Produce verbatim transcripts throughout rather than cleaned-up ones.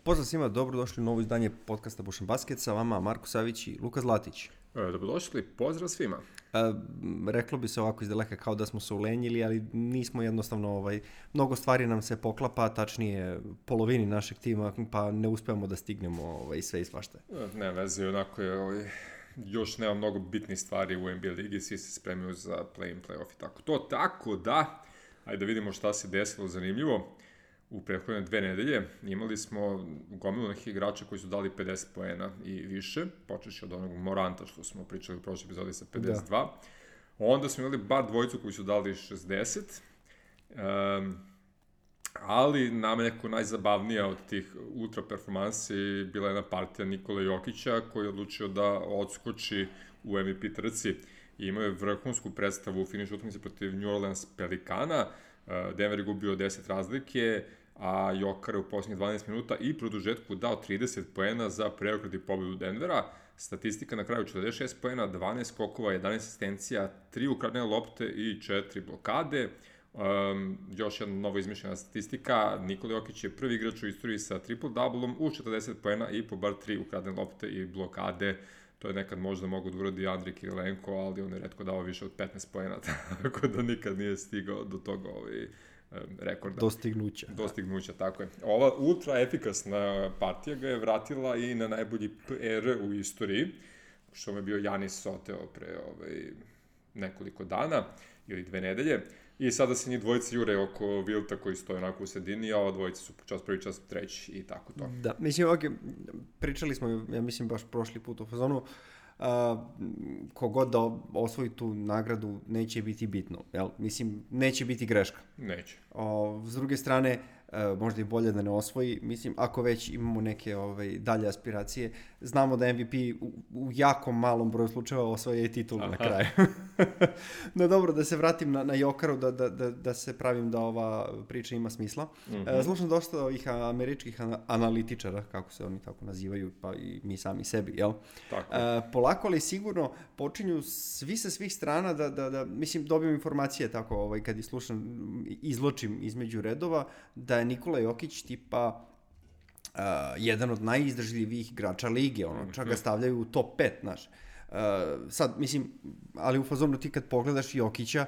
Pozdrav svima, dobrodošli u novo izdanje podcasta Bušan Basket, sa vama Marko Savić i Luka Zlatić. E, dobrodošli, pozdrav svima. E, reklo bi se ovako iz daleka kao da smo se ulenjili, ali nismo jednostavno, ovaj, mnogo stvari nam se poklapa, tačnije polovini našeg tima, pa ne uspevamo da stignemo ovaj, sve i svašta. E, ne veze, onako je, ovaj, još nema mnogo bitnih stvari u N B A ligi, svi se spremaju za play-in, play-off i tako to, tako da, ajde da vidimo šta se desilo zanimljivo. U prethodne dve nedelje imali smo gomilu nekih igrača koji su dali pedeset poena i više, počeši od onog Moranta što smo pričali u prošloj epizodi sa pedeset dva. Da. Onda smo imali bar dvojicu koji su dali šezdeset, um, ali nam je neko najzabavnija od tih ultra performansi bila jedna partija Nikola Jokića koji je odlučio da odskoči u M V P trci i imao je vrhunsku predstavu u finišu utakmice protiv New Orleans Pelikana. Denver je gubio deset razlike, a Jokar je u posljednjih dvanaest minuta i produžetku dao trideset poena za preokret i pobedu Denvera. Statistika na kraju četrdeset šest poena, dvanaest skokova, jedanaest asistencija, tri ukradene lopte i četiri blokade. Um, još jedna novo izmišljena statistika, Nikola Jokić je prvi igrač u istoriji sa triple-doublom u četrdeset poena i po bar tri ukradene lopte i blokade. To je nekad možda mogu da uradi Andrej Kirilenko, ali on je retko dao više od petnaest poena, tako da nikad nije stigao do toga ovaj, rekorda. Dostignuća. Dostignuća, tako je. Ova ultra efikasna partija ga je vratila i na najbolji P R u istoriji, što mu je bio Janis Soteo pre ovaj, nekoliko dana ili dve nedelje. I sada se njih dvojice jure oko Wilta koji stoje onako u sredini, a ova dvojica su čas prvi, čas treći i tako to. Da, mislim, ok, pričali smo, ja mislim, baš prošli put u fazonu, uh, kogod da osvoji tu nagradu neće biti bitno, jel? Mislim, neće biti greška. Neće. O, s druge strane, uh, možda i bolje da ne osvoji, mislim, ako već imamo neke ovaj, dalje aspiracije, znamo da M V P u, u jako malom broju slučajeva osvoje i titulu na kraju. No dobro, da se vratim na, na Jokaru, da, da, da, da se pravim da ova priča ima smisla. Mm-hmm. Uh, slušam dosta ovih američkih analitičara, kako se oni tako nazivaju, pa i mi sami sebi, jel? Tako. Uh, polako ali sigurno počinju svi sa svih strana da, da, da mislim, dobijem informacije tako, ovaj, kad ih slušam, izločim između redova, da je Nikola Jokić tipa uh, jedan od najizdržljivijih igrača lige, ono, čak ga stavljaju u top pet, znaš. Uh, sad, mislim, ali u fazonu ti kad pogledaš Jokića,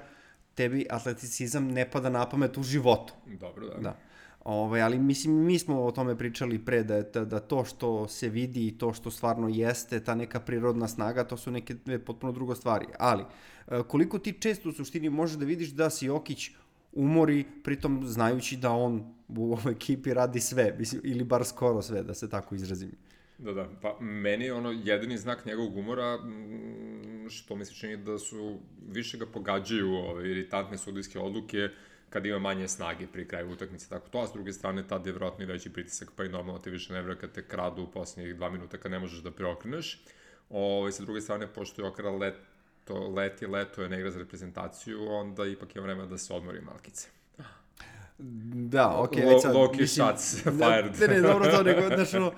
tebi atleticizam ne pada na pamet u životu. Dobro, da. Da. Ove, ali mislim, mi smo o tome pričali pre, da, da, da to što se vidi i to što stvarno jeste, ta neka prirodna snaga, to su neke potpuno drugo stvari. Ali, uh, koliko ti često u suštini možeš da vidiš da si Jokić umori, pritom znajući da on u ovoj ekipi radi sve, mislim, ili bar skoro sve, da se tako izrazim. Da, da, pa meni je ono jedini znak njegovog umora što mi se čini da su više ga pogađaju ove iritantne sudijske odluke kad ima manje snage pri kraju utakmice, tako to, a s druge strane tad je vjerojatno i veći pritisak, pa i normalno ti više ne vre kad te kradu u posljednjih dva minuta kad ne možeš da preokreneš. Ove, sa druge strane, pošto je Jokara leto, leti, leto je ne igra za reprezentaciju, onda ipak je vreme da se odmori malkice. Da, okej, okay, sad, Loki shots fired. Ne, ne, dobro to, nego, znaš, ono, uh,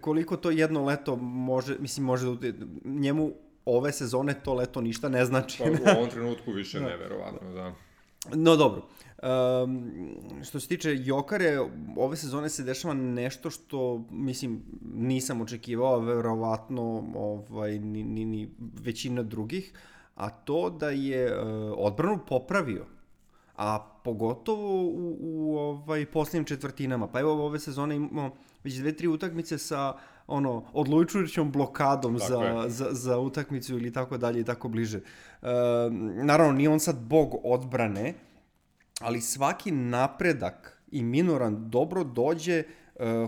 koliko to jedno leto može, mislim, može da, njemu ove sezone to leto ništa ne znači. Pa, u ovom trenutku više ne, verovatno, da. No, dobro. Um, što se tiče Jokare, ove sezone se dešava nešto što, mislim, nisam očekivao, verovatno, ovaj, ni, ni, ni većina drugih, a to da je uh, odbranu popravio. A pogotovo u, u ovaj posljednjim četvrtinama. Pa evo ove sezone imamo već dve, tri utakmice sa ono odlučujućom blokadom za, za, za utakmicu ili tako dalje i tako bliže. E, naravno, nije on sad bog odbrane, ali svaki napredak i minoran dobro dođe e,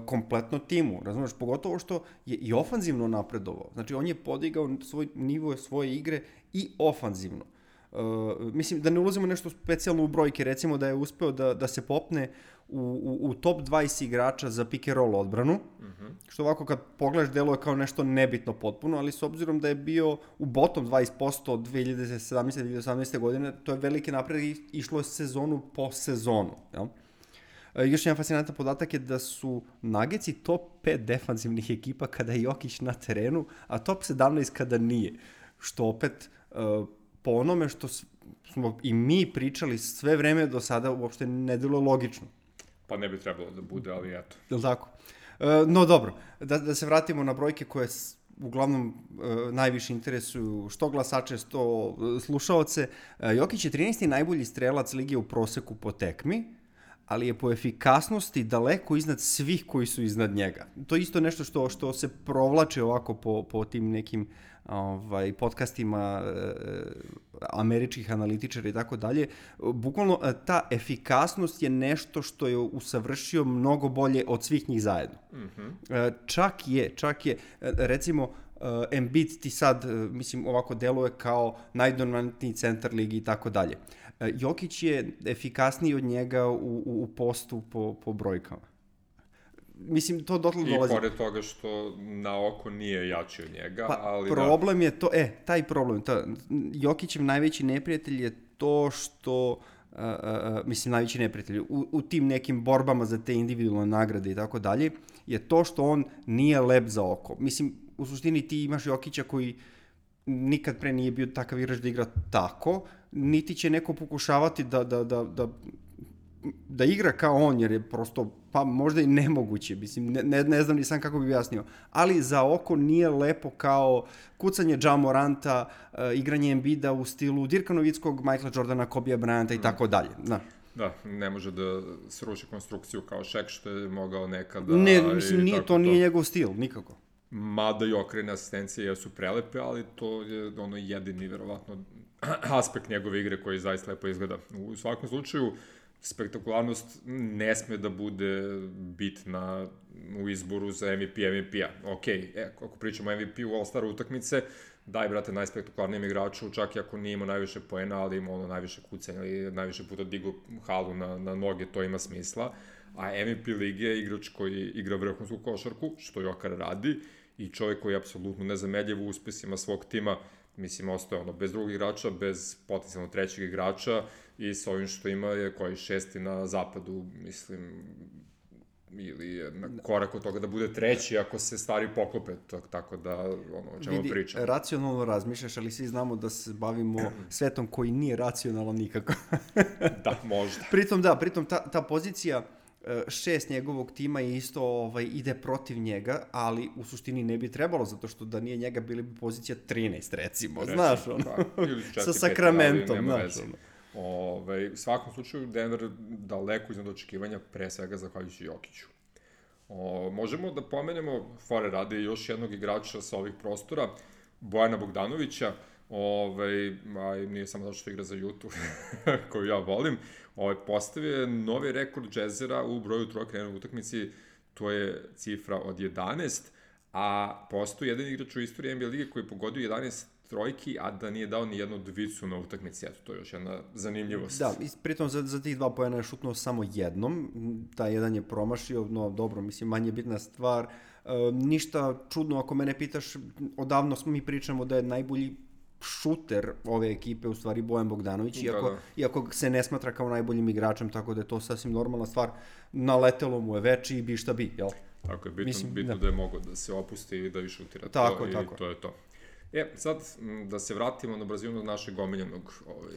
kompletno timu. Razumiješ? Pogotovo što je i ofanzivno napredovao. Znači, on je podigao svoj nivo svoje igre i ofanzivno. Uh, mislim da ne ulazimo nešto specijalno u brojke, recimo da je uspeo da, da se popne u, u, u top dvadeset igrača za pick and roll odbranu, mm-hmm. što ovako kad pogledaš deluje kao nešto nebitno potpuno, ali s obzirom da je bio u bottom dvadeset posto od dve hiljade sedamnaeste do dve hiljade osamnaeste godine, to je veliki napred i išlo je sezonu po sezonu. Jel? Uh, još jedan fascinantan podatak je da su Nuggetsi top pet defanzivnih ekipa kada je Jokić na terenu, a top sedamnaest kada nije, što opet uh, po onome što smo i mi pričali sve vreme do sada uopšte ne delo logično. Pa ne bi trebalo da bude, ali eto. Je li tako? no dobro, da, da se vratimo na brojke koje uglavnom uh, najviše interesuju što glasače, što uh, slušaoce. Uh, Jokić je trinaesti najbolji strelac lige u proseku po tekmi, ali je po efikasnosti daleko iznad svih koji su iznad njega. To je isto nešto što, što se provlače ovako po, po tim nekim ovaj, podcastima e, američkih analitičara i tako dalje. Bukvalno ta efikasnost je nešto što je usavršio mnogo bolje od svih njih zajedno. Mm-hmm. E, čak je, čak je, recimo, uh, Embiid ti sad, uh, mislim, ovako deluje kao najdominantniji centar ligi i tako dalje. Jokić je efikasniji od njega u, u, u postu po, po brojkama. Mislim, to dotle dolazi. I pored toga što na oko nije jači od njega, pa, ali problem da... je to, e, taj problem, to, Jokićev najveći neprijatelj je to što, uh, uh, mislim, najveći neprijatelj, u, u tim nekim borbama za te individualne nagrade i tako dalje, je to što on nije lep za oko. Mislim, u suštini ti imaš Jokića koji nikad pre nije bio takav igrač da igra tako, niti će neko pokušavati da, da, da, da, da igra kao on, jer je prosto, pa možda i nemoguće, mislim, ne, ne, ne znam ni sam kako bi objasnio, ali za oko nije lepo kao kucanje Ja Moranta, uh, igranje Embida u stilu Dirka Nowitzkog, Michaela Jordana, Kobija Bryanta i tako dalje. Da. Da, ne može da sruši konstrukciju kao Shaq, što je mogao nekada. Ne, mislim, nije, to, to nije njegov stil, nikako. Mada i okrene asistencije jesu prelepe, ali to je ono jedini, verovatno, aspekt njegove igre koji zaista lepo izgleda. U svakom slučaju, spektakularnost ne sme da bude bitna u izboru za M V P M V P-a. Ok, e, ako pričamo o M V P-u All-Star utakmice, daj, brate, najspektakularnijem igraču, čak i ako nije imao najviše poena, ali ima ono najviše kucanja ili najviše puta digu halu na, na noge, to ima smisla. A M V P lige je igrač koji igra vrhunsku košarku, što Jokar radi, i čovjek koji je apsolutno nezameljiv u uspesima svog tima. Mislim, ostaje ono, bez drugog igrača, bez potencijalno trećeg igrača i s ovim što ima je koji šesti na zapadu, mislim, ili je na korak od toga da bude treći ako se stvari poklope, tako da, ono, o čemu Vidi, pričam. Racionalno razmišljaš, ali svi znamo da se bavimo svetom koji nije racionalan nikako. Da, možda. Pritom, da, pritom ta, ta pozicija šest njegovog tima je isto ovaj, ide protiv njega, ali u suštini ne bi trebalo, zato što da nije njega bili bi pozicija trinaest, recimo, recimo znaš, ono, da, sa Sacramentom, znaš, ono. Ove, u svakom slučaju, Denver daleko iznad očekivanja, pre svega zahvaljujući Jokiću. O, možemo da pomenemo, fore rade, još jednog igrača sa ovih prostora, Bojana Bogdanovića, Ove, a nije samo zato što igra za Jutu, koju ja volim. Ove, postavio je novi rekord Jazzera u broju trojaka u utakmici, to je cifra od jedanaest, a postoji jedan igrač u istoriji N B A lige koji je pogodio jedanaest trojki, a da nije dao ni jednu dvicu na utakmici. Eto, to je još jedna zanimljivost. Da, pritom za, za tih dva pojena je šutnuo samo jednom, taj jedan je promašio, no dobro, mislim, manje bitna stvar. E, ništa čudno, ako mene pitaš, odavno smo mi pričamo da je najbolji šuter ove ekipe, u stvari Bojan Bogdanović, iako, da, da. iako se ne smatra kao najboljim igračem, tako da je to sasvim normalna stvar. Naletelo mu je veći i bi šta bi, jel? Tako je, bitno, Mislim, bitno da. da je mogo da se opusti i da i šutira tako, to tako. i to je to. E, sad da se vratimo na brzinu našeg omiljenog ovaj,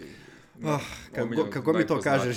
Oh, kako, kako mi to kažeš,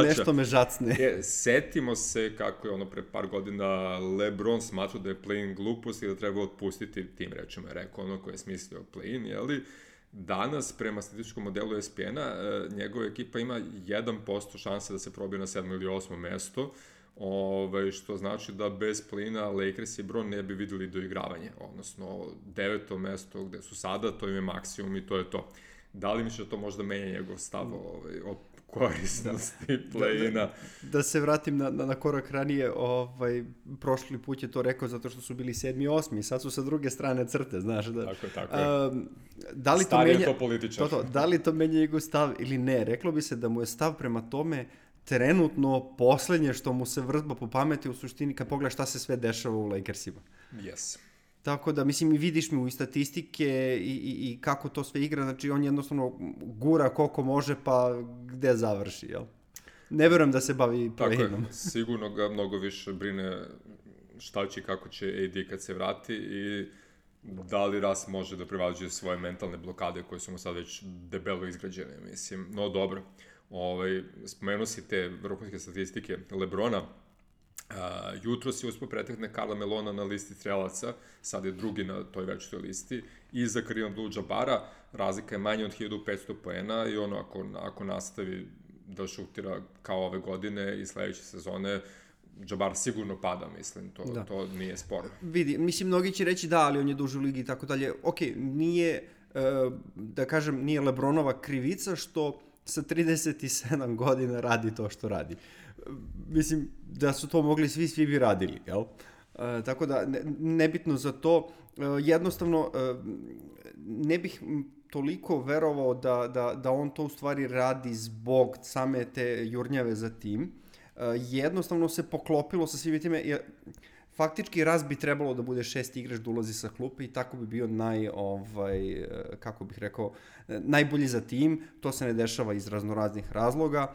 nešto me žacne. E, setimo se kako je ono pre par godina LeBron smatrao da je play-in glupost i da treba otpustiti, tim rečima je rekao ono ko je smislio play-in, jeli? Danas, prema statističkom modelu E S P N-a, njegova ekipa ima jedan posto šanse da se probije na sedmo ili osmo mesto, Ove, što znači da bez play-ina Lakers i Bron ne bi videli doigravanje, odnosno deveto mesto gde su sada, to im je maksimum i to je to. Da li misliš da to možda menja njegov stav ovaj, o korisnosti play-ina? Da, da, da se vratim na, na, na korak ranije, ovaj, prošli put je to rekao zato što su bili sedmi i osmi, sad su sa druge strane crte, znaš. Da, tako je, tako je. Um, da li Stari to menja, je to političar. To, to, da li to menja njegov stav ili ne? Reklo bi se da mu je stav prema tome trenutno poslednje što mu se vrzba po pameti u suštini kad pogledaš šta se sve dešava u Lakersima. Yes. Tako da, mislim, i vidiš mi u statistike i, i, i kako to sve igra, znači on jednostavno gura koliko može pa gde završi, jel? Ne verujem da se bavi play-inom. Tako je, sigurno ga mnogo više brine šta će i kako će A D kad se vrati i da li Ras može da prevađuje svoje mentalne blokade koje su mu sad već debelo izgrađene, mislim, no dobro. Ovaj, spomenuo si te vrhunske statistike LeBrona, Uh, jutro si uspio pretekne Karla Melona na listi strelaca, sad je drugi na toj večitoj listi, i za Karim Abdul-Jabara razlika je manja od hiljadu petsto poena i ono, ako, ako nastavi da šutira kao ove godine i sledeće sezone, Jabbar sigurno pada, mislim, to, da. to nije sporno. Vidi, mislim, mnogi će reći da, ali on je duže u ligi i tako dalje. Ok, nije, da kažem, nije LeBronova krivica što sa trideset sedam godina radi to što radi. Mislim, da su to mogli svi, svi bi radili, jel? E, tako da, ne, nebitno za to, e, jednostavno, e, ne bih toliko verovao da, da, da on to u stvari radi zbog same te jurnjave za tim. E, jednostavno se poklopilo sa svim time, jer faktički raz bi trebalo da bude šesti igrač da ulazi sa klupe i tako bi bio naj, ovaj, kako bih rekao, najbolji za tim. To se ne dešava iz raznoraznih razloga.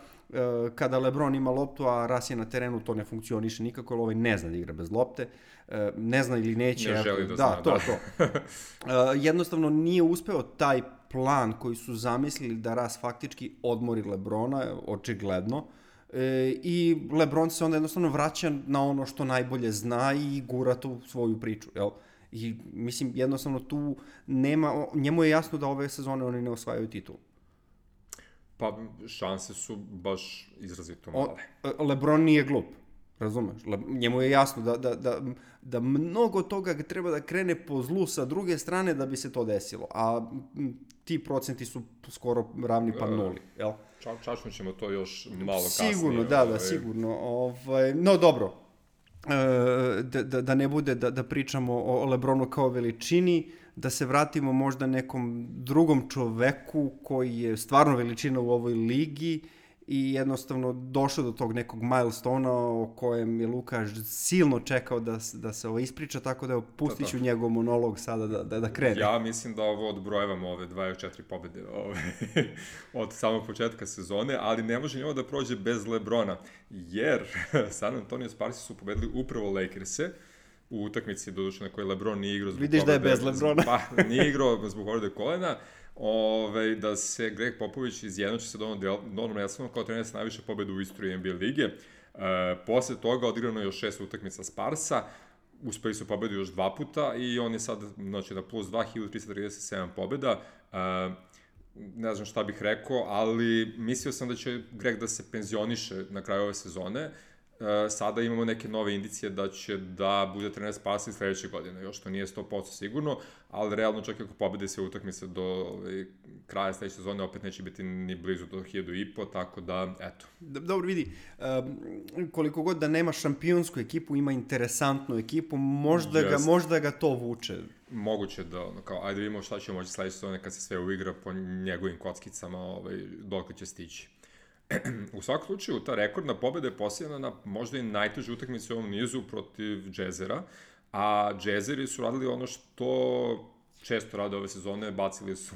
Kada LeBron ima loptu, a Ras je na terenu, to ne funkcioniše nikako, jer ovaj ne zna da igra bez lopte. Ne zna ili neće. Ne želi da, da zna, to, da. to. Jednostavno nije uspeo taj plan koji su zamislili da Ras faktički odmori LeBrona, očigledno. E, i LeBron se onda jednostavno vraća na ono što najbolje zna i gura tu svoju priču, jel? I mislim, jednostavno tu nema, njemu je jasno da ove sezone oni ne osvajaju titul. Pa šanse su baš izrazito male. O, LeBron nije glup, razumeš? Le, njemu je jasno da, da, da, da mnogo toga treba da krene po zlu sa druge strane da bi se to desilo, a ti procenti su skoro ravni pa nuli, jel? Ča, čačno ćemo to još malo kasnije. Sigurno, da, da, sigurno. Ovaj, no dobro, e, da, da, da ne bude da, da pričamo o LeBronu kao veličini, da se vratimo možda nekom drugom čoveku koji je stvarno veličina u ovoj ligi i jednostavno došao do tog nekog milestona o kojem je Luka silno čekao da, da se ovo ispriča, tako da pustit ću njegov monolog sada da, da, da krene. Ja mislim da ovo odbrojevamo ove dvadeset četiri pobede ove, od samog početka sezone, ali ne može njovo da prođe bez LeBrona, jer San Antonio Sparsi su pobedili upravo Lakers-e u utakmici, doduše na kojoj LeBron nije igrao zbog Vidiš povrede, da je bez LeBrona. Pa, nije igrao zbog povrede kolena. Ove, da se Greg Popović izjednači sa Donom Nelsonom kao trener sa najviše pobjede u istoriji N B A lige. E, posle toga odigrano je još šest utakmica Sparsa, uspeli su pobedu još dva puta i on je sad, znači, na plus dva, hiljadu trista trideset sedam pobjeda. E, ne znam šta bih rekao, ali mislio sam da će Greg da se penzioniše na kraju ove sezone. Sada imamo neke nove indicije da će da bude trener Sparsa i sledeće godine, još to nije sto posto sigurno, ali realno čak i ako pobede sve utakmice do ovaj, kraja sledeće sezone, opet neće biti ni blizu do hiljadu i po, tako da, eto. Dobro, vidi, um, koliko god da nema šampionsku ekipu, ima interesantnu ekipu, možda, yes. ga, možda ga to vuče. Moguće da, ono, kao, ajde vidimo šta će moći sledeće sezone kad se sve uigra po njegovim kockicama, ovaj, dok će stići. U svakom slučaju, ta rekordna pobjeda je posljedna na možda i najtežu utakmicu u ovom nizu protiv Jazzera, a Jazzeri su radili ono što često rade ove sezone, bacili su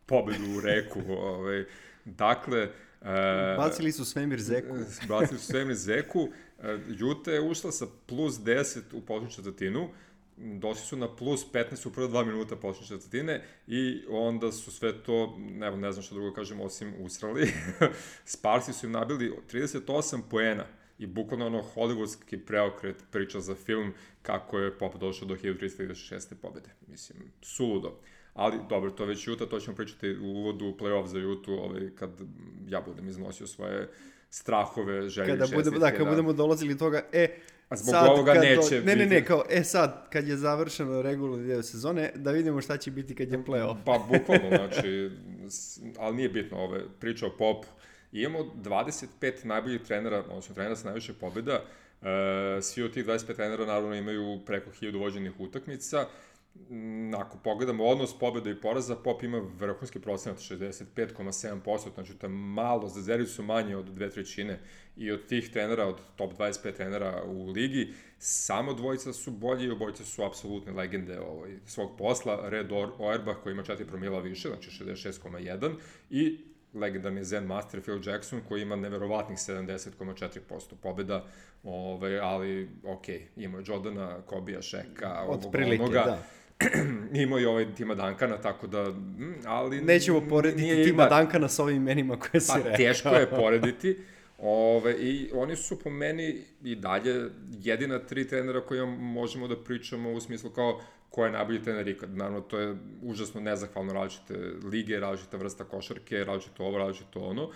pobjedu u reku. Ovaj. Dakle... E, bacili su svemir zeku. Bacili su svemir zeku. Utah je ušla sa plus deset u početnu četvrtinu, došli su na plus petnaest u prve dva minuta početne četvrtine i onda su sve to, ne, ne znam što drugo kažem, osim usrali. Sparsi su im nabili trideset osam poena i bukvalno ono hollywoodski preokret priča za film kako je Pop došao do hiljadu trista trideset šeste pobjede. Mislim, suludo. Ali, dobro, to već Utah, to ćemo pričati u uvodu u play-off za Utah, ovaj, kad ja budem iznosio svoje strahove, želje, kada budemo, da, kad budemo dolazili toga, e, a zbog sad, ovoga neće do, ne, ne, ne, kao, e sad, kad je završeno regularni deo sezone, da vidimo šta će biti kad je play-off. Pa, bukvalno, znači, ali nije bitno, ove, priča o Popu. Imamo dvadeset pet najboljih trenera, odnosno trenera sa najviše pobjeda, e, svi od tih dvadeset pet trenera naravno imaju preko hiljadu vođenih utakmica. Ako pogledamo odnos pobjeda i poraza, Pop ima vrhunski procenat šezdeset pet zarez sedam posto, znači to je malo, Zazeri su manje od dve trećine i od tih trenera, od top dvadeset pet trenera u ligi, samo dvojica su bolji i obojica su apsolutne legende ovaj, svog posla. Red Auerbach koji ima četiri promila više, znači šezdeset šest zarez jedan i legendarni Zen Master Phil Jackson koji ima neverovatnih sedamdeset zarez četiri posto pobjeda, ovaj, ali ok, ima Jordana, Kobija, Sheka, od prilike, onoga. Da. Imao i ovaj Tima Duncana, tako da, ali... Nećemo porediti Tima Duncana s ovim imenima koje si pa, rekao. Teško je porediti, Ove, I oni su po meni i dalje jedina tri trenera koja možemo da pričamo u smislu kao ko je najbolji trener ikad. Naravno, to je užasno nezahvalno, različite lige, različita vrsta košarke, različito ovo, različito ono, uh,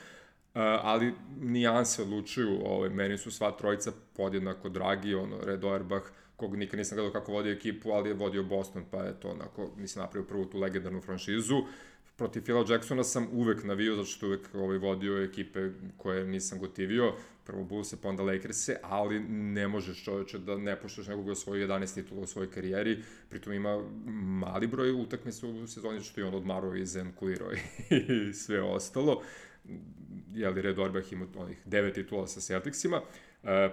ali nijanse odlučuju. Ove, meni su sva trojica podjednako dragi, ono, Red Auerbach, kog nikad nisam gledao kako vodio ekipu, ali je vodio Boston, pa je to onako, mislim, napravio prvu tu legendarnu franšizu. Protiv Phila Jacksona sam uvek navio, zato što uvek ovaj, vodio ekipe koje nisam gotivio, prvo Bullse, pa onda Lakers-e, ali ne možeš čoveče da ne poštaš nekoga osvojio jedanaest titula u svojoj karijeri, pritom ima mali broj utakmica u sezoni, što je on odmarao i zenkulirao i sve ostalo. Jeli, Red Auerbach ima onih devet titula sa Celticsima.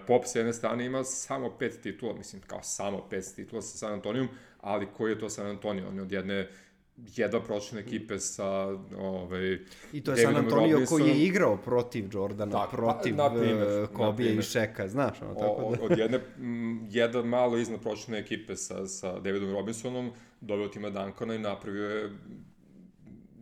Pop s jedne strane ima samo pet titula, mislim, kao samo pet titula sa San Antonijom, ali koji je to San Antonio? On je od jedne jedva pročne ekipe sa ovaj, i to je San Antonio koji je igrao protiv Jordana, tak, protiv Kobija i Šeka, znaš, ono, tako da... Od jedne, jedna malo iznad pročne ekipe sa, sa Davidom Robinsonom doveo tima Duncana i napravio je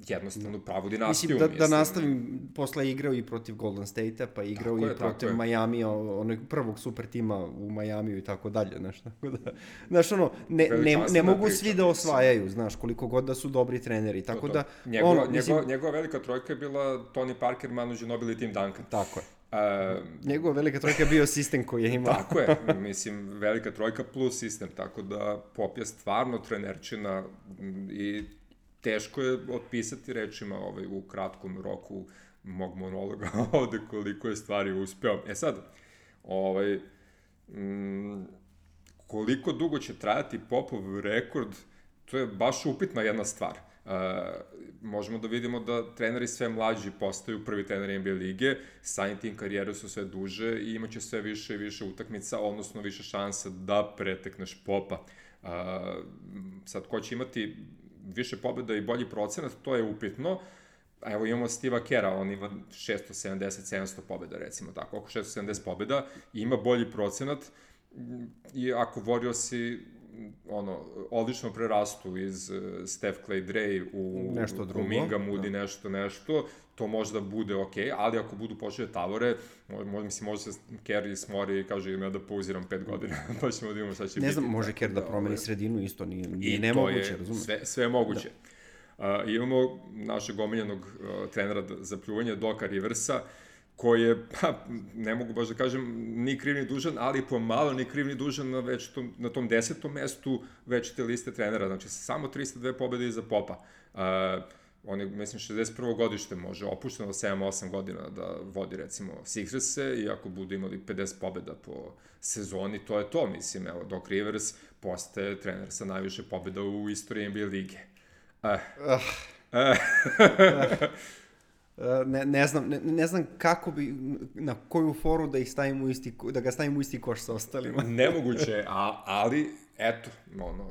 jednostavno pravu dinastiju. Mislim, da, mislim. da nastavim, posle je igrao i protiv Golden State-a, pa je igrao tako i je, protiv Miami, onog prvog super tima u Majamiju i tako dalje, znaš, tako da, znaš, ono, ne, ne, ne mogu priča, svi da osvajaju, mislim. Znaš, koliko god da su dobri treneri, tako to, to. da... Njegova, ono, mislim, njegova, njegova velika trojka je bila Tony Parker, Manu Ginobili i Tim Duncan. Tako je. Uh, njegova velika trojka je bio sistem koji je imao. Tako je, mislim, velika trojka plus sistem, tako da Pop je stvarno trenerčina i teško je otpisati rečima ovaj, u kratkom roku mog monologa ovde koliko je stvari uspeo. E sad, ovaj, m, koliko dugo će trajati Popov rekord, to je baš upitna jedna stvar. Uh, možemo da vidimo da treneri sve mlađi postaju prvi treneri N B A lige, samim tim karijere su sve duže i imaće sve više i više utakmica, odnosno više šansa da pretekneš Popa. Uh, sad, ko će imati više pobjeda i bolji procenat, to je upitno. Evo imamo Steva Kera, on ima šesto sedamdeset sedamsto pobjeda, recimo tako, oko šesto sedamdeset pobjeda, ima bolji procenat i ako Warriorsi ono, odlično prerastu iz uh, Steph, Clay, Dre u Kuminga, Moody, da. nešto, nešto, to možda bude okej, okay, ali ako budu počeli tavore, možda, mislim, može se Kerr smori i kaže im ja da pauziram pet godina, pa ćemo da imamo šta će ne biti. Ne znam, može Kerr da, da promeni sredinu, isto nije, nije nemoguće, razumiješ? Sve, sve je moguće. Da. Uh, imamo našeg omiljenog uh, trenera za pljuvanje, Doka Riversa, koji je, pa, ne mogu baš da kažem, ni kriv ni dužan, ali pomalo ni kriv ni dužan na, već tom, na tom desetom mestu već te liste trenera, znači samo tristo dve pobjede iza Popa. Uh, on je, mislim, šezdeset prvo godište može, opušteno sedam osam godina da vodi, recimo, Sixers-e, i ako budu imali pedeset pobjeda po sezoni, to je to, mislim, evo, Doc Rivers postaje trener sa najviše pobjeda u istoriji N B A lige. Uh. Uh. Uh. Ne, ne znam, ne, ne znam kako bi, na koju foru da ih stavimo u isti, da ga stavimo u isti koš sa ostalima. Nemoguće, a, ali, eto, ono,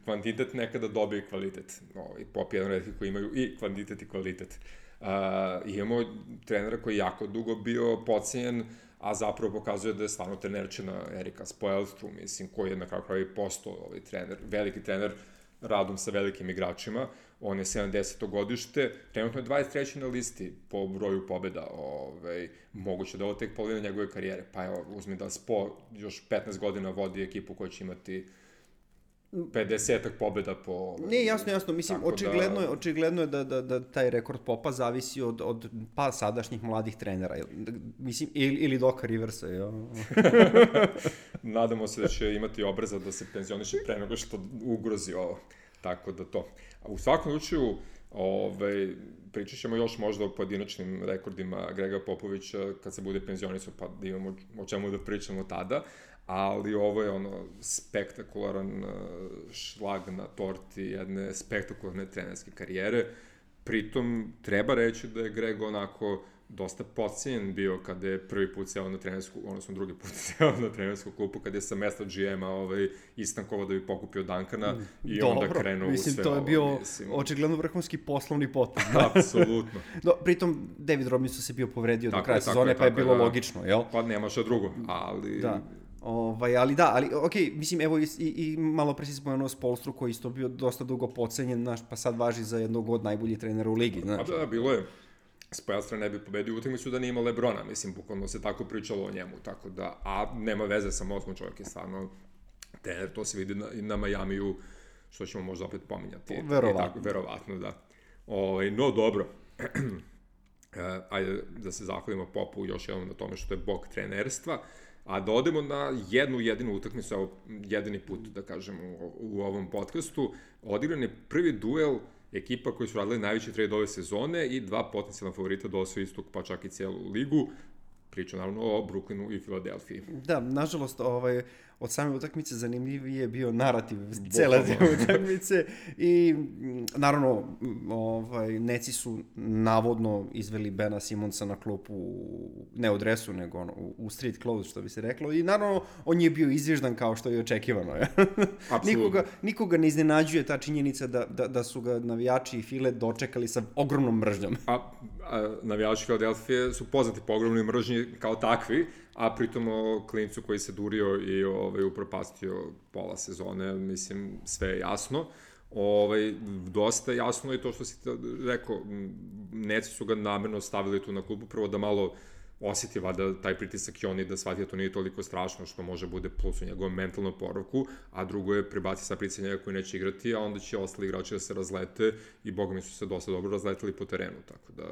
kvantitet nekada dobije kvalitet. No, i Pop je jedan redki koji imaju i kvantitet i kvalitet. Uh, imamo trenera koji je jako dugo bio podcijenjen, a zapravo pokazuje da je stvarno trenerčina Erika Spoelstru, mislim, koji je na kraju kraju postao ovaj trener, veliki trener, radom sa velikim igračima. On je sedamdeseto godište, trenutno je dvadeset treći na listi po broju pobjeda, ovaj, moguće da ovo tek polovina njegove karijere, pa evo, uzmi da Spo još petnaest godina vodi ekipu koja će imati pedesetak pobjeda po... Ovaj, ne, jasno, jasno, mislim, očigledno, da... je, očigledno je da, da, da taj rekord Popa zavisi od, od pa sadašnjih mladih trenera, mislim, ili, ili Doka Riversa, ja. Nadamo se da će imati obraza da se penzioniše pre nego što ugrozi ovo. Tako da to. U svakom slučaju, ovaj, pričat ćemo još možda o pojedinačnim rekordima Grega Popovića kad se bude penzionisao, pa da imamo o čemu da pričamo tada, ali ovo je ono spektakularan šlag na torti jedne spektakularne trenerske karijere. Pritom treba reći da je Greg onako dosta podcijenjen bio kada je prvi put seo na trenersku, odnosno drugi put seo na trenersku klupu, kada je sa mesta G M-a ovaj, istankovao da bi pokupio Duncana i dobro, onda krenuo u sve mislim, to je bio ovo, mislim... očigledno vrhunski poslovni potez. Apsolutno. Do, pritom, David Robinson se bio povredio do kraja sezone, pa je bilo da, logično, jel? Pa nema šta drugo, ali... Da. Ovaj, ali da, ali okej, okay, mislim, evo i, i, i malo pre si spomenuo Spoelstru koji isto bio dosta dugo podcenjen, znaš, pa sad važi za jednog od najboljih trenera u ligi, znaš. Pa da, bilo je. Spoelstra ne bi pobedio utakmicu da nije imao Lebrona, mislim, bukvalno se tako pričalo o njemu, tako da, a nema veze sa mozgom, čovjek je stvarno trener, to se vidi na, i na Majamiju, što ćemo možda opet pominjati. Verovatno. Tako, verovatno, da. O, no, dobro. E, ajde da se zahvalimo Popu još jednom na tome što je bog trenerstva, a da odemo na jednu jedinu utakmicu, evo, jedini put, da kažem, u, u ovom podcastu. Odigran je prvi duel ekipa koji su radili najveći trade ove sezone i dva potencijalna favorita da osvoje istog, pa čak i celu ligu. Priča naravno o Brooklynu i Filadelfiji. Da, nažalost, ovaj, od same utakmice zanimljiviji je bio narativ cele te utakmice i naravno ovaj, Neci su navodno izveli Bena Simonsa na klupu, ne u dresu, nego ono, u street clothes, što bi se reklo, i naravno on je bio izvježdan kao što je očekivano. Ja? nikoga, nikoga ne iznenađuje ta činjenica da, da, da su ga navijači i File dočekali sa ogromnom mržnjom. A, a navijači Filadelfije su poznati po ogromnoj mržnji kao takvi, a pritom o klincu koji se durio i ovaj, upropastio pola sezone, mislim, sve je jasno. Ovaj, dosta jasno je to što si rekao, Neci su ga namerno stavili tu na klubu, prvo da malo osjeti vada taj pritisak i oni da shvati da to nije toliko strašno što može bude plus u njegovom mentalnom poravku, a drugo je prebaci sa pritisak njega koji neće igrati, a onda će ostali igrači da se razlete i boga mi su se dosta dobro razleteli po terenu, tako da...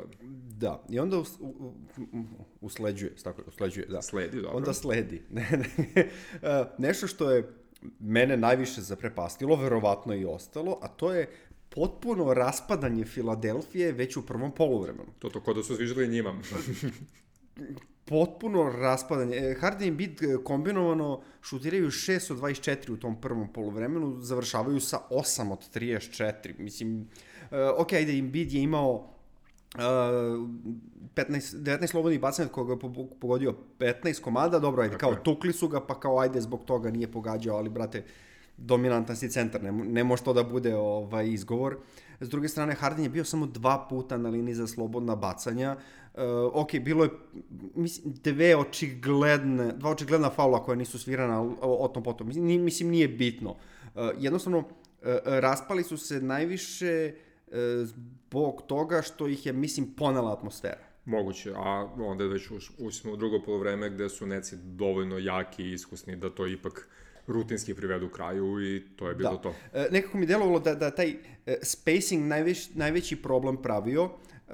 Da, i onda us, u, u, usleđuje, tako je, usleđuje, da. Sledi, dobro. Onda sledi. Nešto što je mene najviše zaprepastilo, verovatno i ostalo, a to je potpuno raspadanje Filadelfije već u prvom poluvremenu. To to kod da su zviždali njima. Potpuno raspadanje. Harden i Embiid kombinovano šutiraju šest od dvadeset četiri u tom prvom poluvremenu, završavaju sa osam od trideset četiri. Mislim, uh, ok, ajde, Embiid je imao uh, petnaest, devetnaest slobodnih bacanja od koga je pogodio petnaest komada, dobro, ajde, kao tukli su ga, pa kao ajde, zbog toga nije pogađao, ali, brate, dominantan si centar, ne, ne može to da bude ovaj izgovor. S druge strane, Harden je bio samo dva puta na liniji za slobodna bacanja. Uh, ok, bilo je mislim, dve očigledne, dva očigledna faula koja nisu svirana o, o tom potom. Mislim, mislim nije bitno. Uh, jednostavno, uh, raspali su se najviše uh, zbog toga što ih je, mislim, ponela atmosfera. Moguće, a onda je već ušli u drugo polovreme gde su Neci dovoljno jaki i iskusni da to ipak rutinski privedu kraju i to je bilo da. to. E, nekako mi delovalo da, da taj e, spacing najveć, najveći problem pravio. E,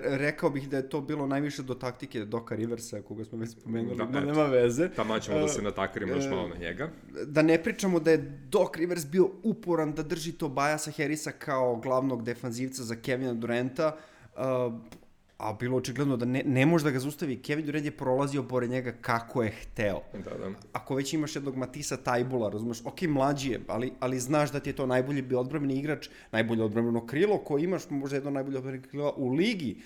rekao bih da je to bilo najviše do taktike Doka Riversa, koga smo već spomenuli, da, no nema veze. Tamo ćemo e, da se natakarimo još malo na njega. Da ne pričamo da je Doc Rivers bio uporan da drži Tobiasa Harrisa kao glavnog defanzivca za Kevina Duranta, e, a bilo očigledno da ne, ne može da ga zaustavi. Kevin Durant je prolazio pored njega kako je hteo. Da, da. Ako već imaš jednog Matisa Taibula, razumeš, ok, mlađi je, ali, ali znaš da ti je to najbolji bio odbrambeni igrač, najbolje odbrambeno krilo, koji imaš možda jedno najbolje odbrambeno krilo u ligi,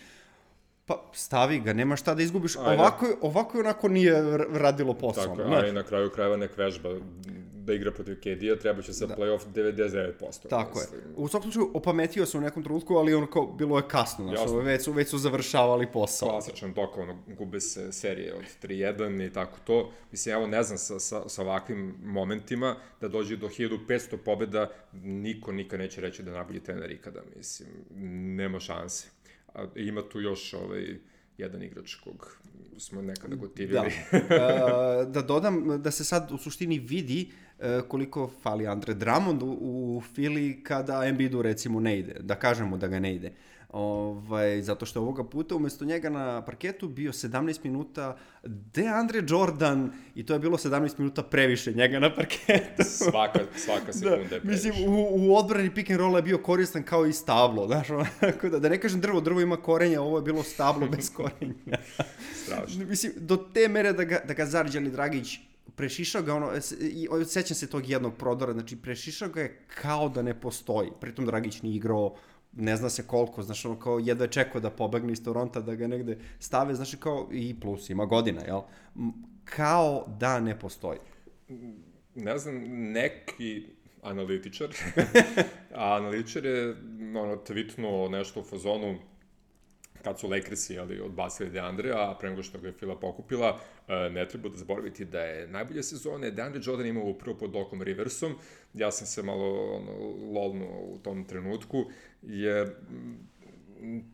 pa stavi ga, nema šta da izgubiš. Ovako, ovako i onako nije radilo posao. Tako, a i na kraju krajeva nek vežba da igra protiv K D-a, treba će sa da. Playoff devedeset devet posto. Tako mislim. Je. U svakom slučaju, opametio se u nekom trenutku, ali ono kao, bilo je kasno, znaš, već su, već su završavali posao. Klasičan tok, ono, gube se serije od tri jedan i tako to. Mislim, evo, ne znam, sa, sa, sa ovakvim momentima, da dođe do hiljadu petsto pobjeda, niko nikad neće reći da je najbolji trener ikada, mislim, nema šanse. A ima tu još ovaj, jedan igrač kog smo nekada gotivili. Da. Da dodam da se sad u suštini vidi koliko fali Andre Drummond u, u Fili kada Embiidu recimo ne ide, da kažemo da ga ne ide. Ovaj, zato što ovoga puta umjesto njega na parketu bio sedamnaest minuta DeAndre Jordan i to je bilo sedamnaest minuta previše njega na parketu. Svaka, svaka sekunda da, je previše. Mislim, u, u odbrani pick and roll je bio koristan kao i stablo. Znaš, da, da ne kažem drvo, drvo ima korenja, ovo je bilo stablo bez korenja. Strašno. Mislim, do te mere da ga, da ga Zarđali Dragić prešišao ga, ono, sećam se tog jednog prodora, znači prešišao ga je kao da ne postoji. Pritom Dragić nije igrao ne zna se koliko, znaš, ono kao jedva je čekao da pobegne iz Toronta, da ga negde stave, znaš, kao i plus, ima godina, jel? Kao da ne postoji. Ne znam, neki analitičar, a analitičar je ono, tweetnuo nešto u fazonu kad su Lakersi ali, odbacili DeAndre, a pre nego što ga je Fila pokupila, ne treba da zaboraviti da je najbolje sezone DeAndre Jordan imao upravo pod Docom Riversom. Ja sam se malo ono, lolnuo u tom trenutku, jer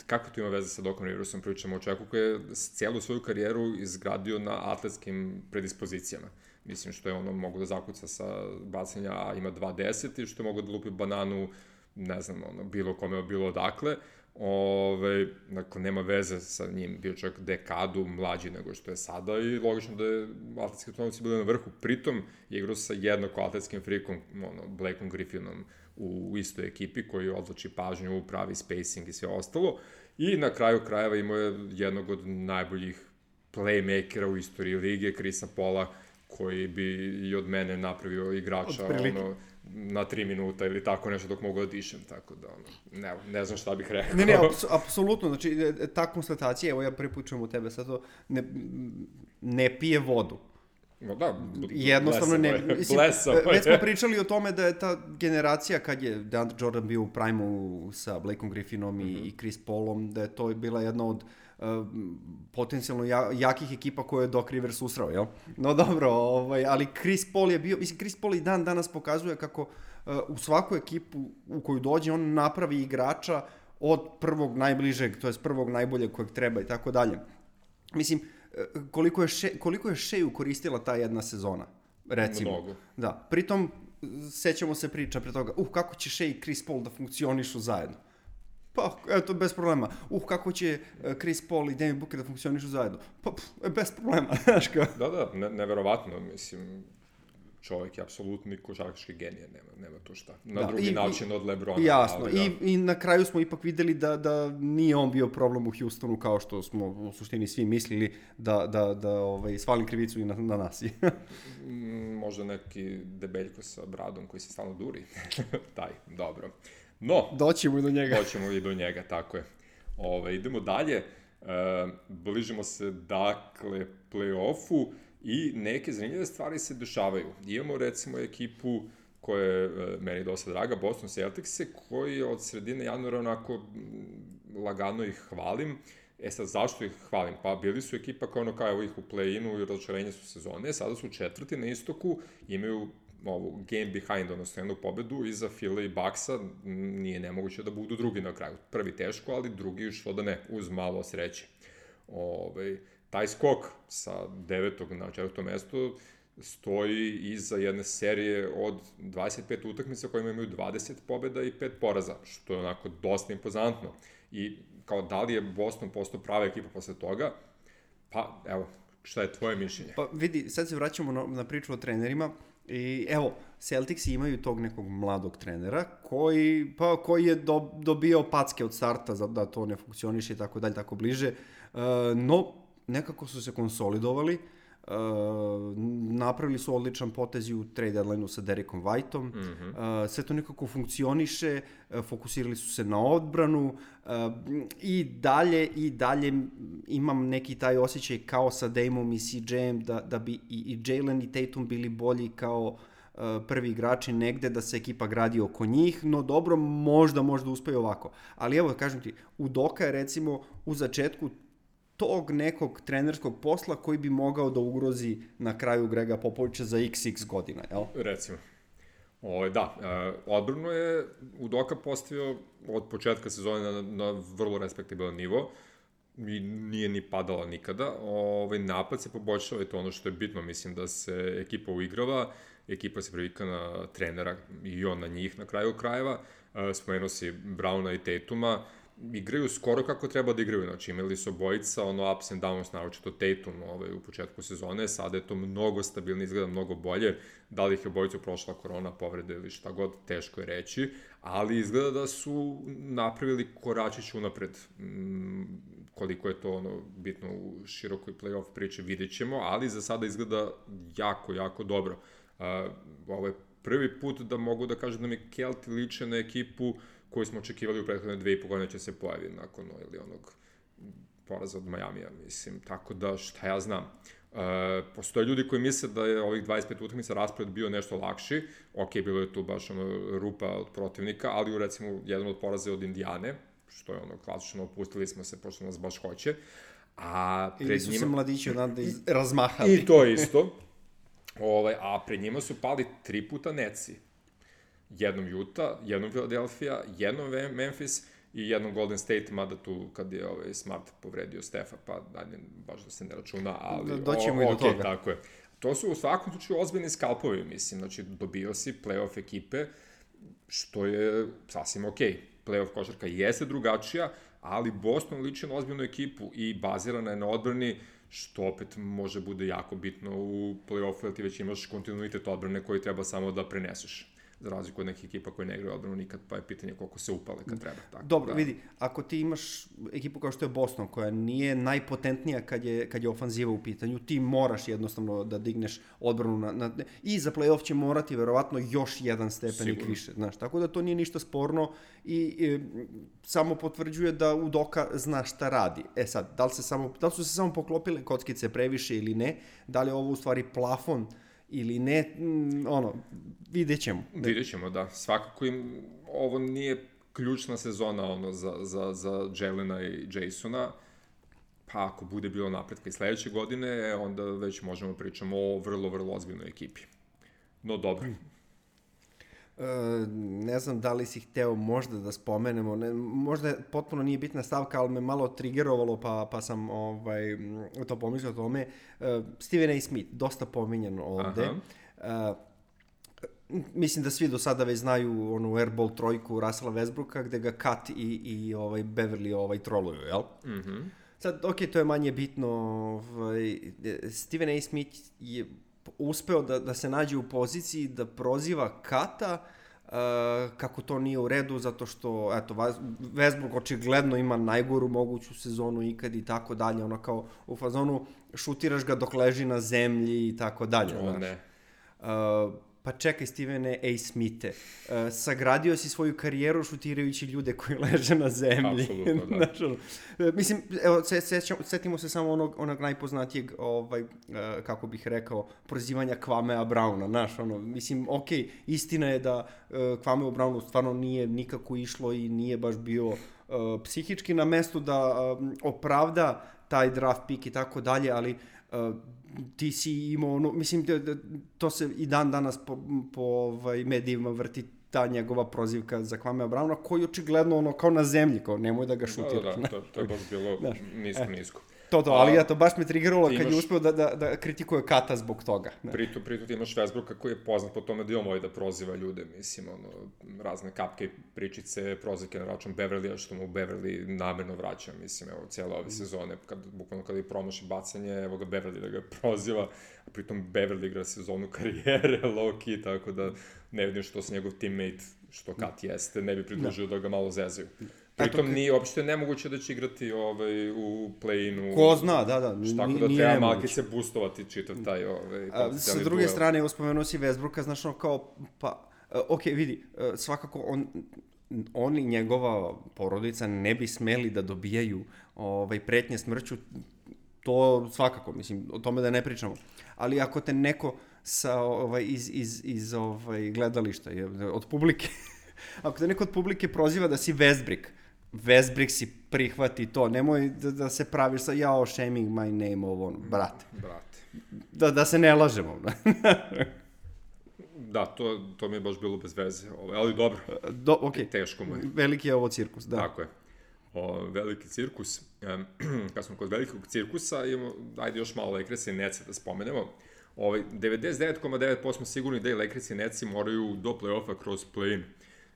kako to ima veze sa Docom Riversom, pričamo o čovjeku koji je cijelu svoju karijeru izgradio na atletskim predispozicijama. Mislim što je ono mogu da zakuca sa bacanja, a ima dva deset i što je mogu da lupi bananu, ne znam, ono, bilo kome, bilo odakle. Ove, dakle, nema veze sa njim, bio čovjek dekadu mlađi nego što je sada i logično da je atletski autonomci bili na vrhu. Pritom je igrao sa jednako atletskim frikom, ono, Blakeom Griffinom u istoj ekipi koji odlači pažnju, pravi spacing i sve ostalo. I na kraju krajeva imao je jednog od najboljih playmakera u istoriji lige, Chrisa Paula, koji bi i od mene napravio igrača ono, na tri minuta ili tako nešto dok mogu da dišem, tako da ono, ne, ne znam šta bih rekao. Ne, ne, aps, apsolutno, znači ta konstatacija, evo ja prvi put čujem u tebe sad to, ne, ne pije vodu. No da, jednostavno ne, mislim, već smo pričali o tome da je ta generacija kad je DeAndre Jordan bio u prime-u sa Blakeom Griffinom i, mm-hmm. i Chris Paulom, da je to bila jedna od uh, potencijalno ja, jakih ekipa koje je Doc Rivers usrao, jel? No dobro, ovaj, ali Chris Paul je bio, mislim, Chris Paul i dan danas pokazuje kako uh, u svaku ekipu u koju dođe on napravi igrača od prvog najbližeg, to jest prvog najboljeg kojeg treba i tako dalje. Mislim, koliko je, še, koliko je Sheju koristila ta jedna sezona, recimo. Mnogo. Da, pritom sećamo se priča pre toga, uh, kako će Shea i Chris Paul da funkcionišu zajedno. Pa, eto, bez problema. Uh, kako će Chris Paul i Devin Booker da funkcionišu zajedno. Pa, pff, bez problema, znaš kao. Da, da, ne, neverovatno, mislim, čovjek je apsolutni košarkaški genije, nema, nema to šta. Na da, drugi i, način od LeBrona. Jasno, ali, I, da. i na kraju smo ipak videli da, da nije on bio problem u Houstonu kao što smo u suštini svi mislili da, da, da ovaj, svali krivicu i na, na nas. Možda neki debeljko sa bradom koji se stalno duri. Taj, dobro. No, doćemo i do njega. Doćemo i do njega, tako je. Ove, idemo dalje. E, bližimo se, dakle, play-offu. I neke zanimljive stvari se dešavaju. Imamo recimo ekipu koja je e, meni dosta draga, Boston Celticse, koji od sredine januara onako lagano ih hvalim. E sad, zašto ih hvalim? Pa bili su ekipa koja ono kao evo ih u play-inu i razočarenje su sezone, sada su četvrti na istoku, imaju ovu game behind, odnosno jednu pobedu iza Phila i Bucksa, nije nemoguće da budu drugi na kraju. Prvi teško, ali drugi što da ne, uz malo sreće. Ove, taj skok sa devetog na četvrto mesto stoji iza jedne serije od dvadeset pet utakmica kojima imaju dvadeset pobjeda i pet poraza, što je onako dosta impozantno. I kao da li je Boston postao prava ekipa posle toga, pa evo, šta je tvoje mišljenje? Pa vidi, sad se vraćamo na, na priču o trenerima i evo, Celticsi imaju tog nekog mladog trenera koji, pa, koji je do, dobio packe od starta za da to ne funkcioniše i tako dalje, tako bliže, uh, no nekako su se konsolidovali, uh, napravili su odličan potez u trade deadline-u sa Derekom Whiteom, mm-hmm. uh, sve to nekako funkcioniše, uh, fokusirali su se na odbranu uh, i dalje i dalje imam neki taj osjećaj kao sa Damom i C J-em da, da bi i, i Jalen i Tatum bili bolji kao uh, prvi igrači negde, da se ekipa gradi oko njih, no dobro, možda, možda uspeju ovako. Ali evo, kažem ti, Udoka je recimo u začetku tog nekog trenerskog posla koji bi mogao da ugrozi na kraju Grega Popovića za iks iks godina, jel? Recimo. O, da, e, odbranu je Udoka postavio od početka sezone na, na vrlo respektabilan nivo i nije ni padala nikada. Ovaj napad se poboljšava i to ono što je bitno, mislim da se ekipa uigrava, ekipa se privika na trenera i on na njih na kraju krajeva. E, spomenuo si Browna i Tatuma, igraju skoro kako treba da igraju, znači imali su obojica ono ups and downs, naročito Tatum ovaj, u početku sezone, sada je to mnogo stabilnije, izgleda mnogo bolje, da li ih je obojicu prošla korona, povrede ili šta god, teško je reći, ali izgleda da su napravili koračić unapred, mm, koliko je to ono bitno u širokoj play-off priči vidjet ćemo, ali za sada izgleda jako, jako dobro. Uh, ovo je prvi put da mogu da kažem da mi Kelti liče na ekipu koji smo očekivali u prethodne dve i po godine će se pojavi nakon ili onog poraza od Majamija, mislim, tako da šta ja znam. E, postoje ljudi koji misle da je ovih dvadeset pet utakmica raspored bio nešto lakši, ok, bilo je tu baš ono rupa od protivnika, ali u recimo jedan od poraza od Indijane, što je ono klasično, opustili smo se pošto nas baš hoće, a pred ili su njima... se mladići odande razmahali. I to isto, ovaj, a pred njima su pali tri puta Netsi. Jednom Utah, jednom Philadelphia, jednom Memphis i jednom Golden State, mada tu kad je ovaj Smart povredio Stefa, pa dalje baš da se ne računa, ali... Doćemo i do toga. Tako je. To su u svakom slučaju ozbiljni skalpovi, mislim, znači dobio si play-off ekipe, što je sasvim okej. Okay. Play-off košarka jeste drugačija, ali Boston liči na ozbiljnu ekipu i bazirana je na odbrani, što opet može bude jako bitno u play-offu, jer ti već imaš kontinuitet odbrane koji treba samo da preneseš. Za razliku od nekih ekipa koje ne igraju odbranu nikad, pa je pitanje koliko se upale kad treba. Tako, Dobro, da. vidi, ako ti imaš ekipu kao što je Boston, koja nije najpotentnija kad je, kad je ofanziva u pitanju, ti moraš jednostavno da digneš odbranu na, na, i za play-off će morati verovatno još jedan stepenik Sigurno. više. Znaš, tako da to nije ništa sporno i, i samo potvrđuje da Udoka zna šta radi. E sad, da li, se samo, da li su se samo poklopile kockice previše ili ne, da li je ovo u stvari plafon ili ne, ono, vidjet ćemo. Vidjet ćemo, da. Svakako im ovo nije ključna sezona ono, za, za, za Jelena i Jasona, pa ako bude bilo napretka i sledeće godine, onda već možemo pričamo o vrlo, vrlo ozbiljnoj ekipi. No, dobro. E, ne znam da li si hteo možda da spomenemo, ne, možda potpuno nije bitna stavka, ali me malo trigerovalo, pa, pa sam ovaj, to pomislio o tome. E, Stephen A. Smith, dosta pominjan ovde. E, mislim da svi do sada već znaju onu airball trojku Russella Westbrooka, gde ga Kat i, i ovaj Beverly ovaj troluju, jel? Mhm. Mm Sad, ok, to je manje bitno. Ovaj, Stephen A. Smith je uspeo da, da se nađe u poziciji da proziva Kata uh, kako to nije u redu, zato što, eto, Westbrook očigledno ima najgoru moguću sezonu ikad i tako dalje, ono kao u fazonu šutiraš ga dok leži na zemlji i tako dalje. O, ne. Uh, pa čekaj, Stevene A. Smithe, uh, sagradio si svoju karijeru šutirajući ljude koji leže na zemlji. Apsolutno, da. Znači, mislim, evo, setimo se samo onog, onog najpoznatijeg, ovaj, uh, kako bih rekao, prozivanja Kwamea Browna, znaš, ono, mislim, okej, okay, istina je da uh, Kwameo Brownu stvarno nije nikako išlo i nije baš bio uh, psihički na mestu da um, opravda taj draft pick i tako dalje, ali uh, ti si imao ono, mislim, da, da, to se i dan danas po, po ovaj, medijima vrti ta njegova prozivka za Kwamea Browna, koji očigledno ono kao na zemlji, kao nemoj da ga šutiraš. Da, da, to, to je baš bilo znaš, nisko, nisko. To, to, ali ja to baš me triggeralo kad imaš, je uspeo da, da, da kritikuje Kata zbog toga. Pritom, pritom ti imaš Westbrooka koji je poznat po tome da je on voli da proziva ljude, mislim, ono, razne kapke, pričice, prozivke na račun Beverlya, što mu Beverly namerno vraća, mislim, evo, cijela ove sezone, kad, bukvalno kada je promaši bacanje, evo ga Beverly da ga proziva, a pritom Beverly igra sezonu karijere, low-key, tako da ne vidim što se njegov teammate, što Kat jeste, ne bi pridružio da, da ga malo zezaju. Pritom nije, uopšte nemoguće da će igrati ovaj, u play-inu. Ko zna, da, da. Tako da treba malkice boostovati čitav taj ovaj, potencijalni Sa druge duel. Strane, uspomenuo si Westbrooka, znaš, ono kao, pa, uh, ok, vidi, uh, svakako on, on i njegova porodica ne bi smeli da dobijaju ovaj, pretnje smrću, to svakako, mislim, o tome da ne pričamo. Ali ako te neko sa, ovaj, iz, iz, iz ovaj, gledališta, od publike, ako te neko od publike proziva da si Westbrook, Westbrook si prihvati to, nemoj da, da se praviš sa jao shaming my name ovo, brate. Brate. Da, da se ne lažemo. Da, to, to mi je baš bilo bez veze, ali dobro, Do, okay. Teško mu je. Veliki je ovo cirkus, da. Tako je. O, veliki cirkus. Um, kad smo kod velikog cirkusa, imamo, ajde još malo Lakersa i Netsa da spomenemo. Ovaj, devedeset devet zarez devet posto smo sigurni da i Lakers i Netsi moraju do play-offa kroz play-in.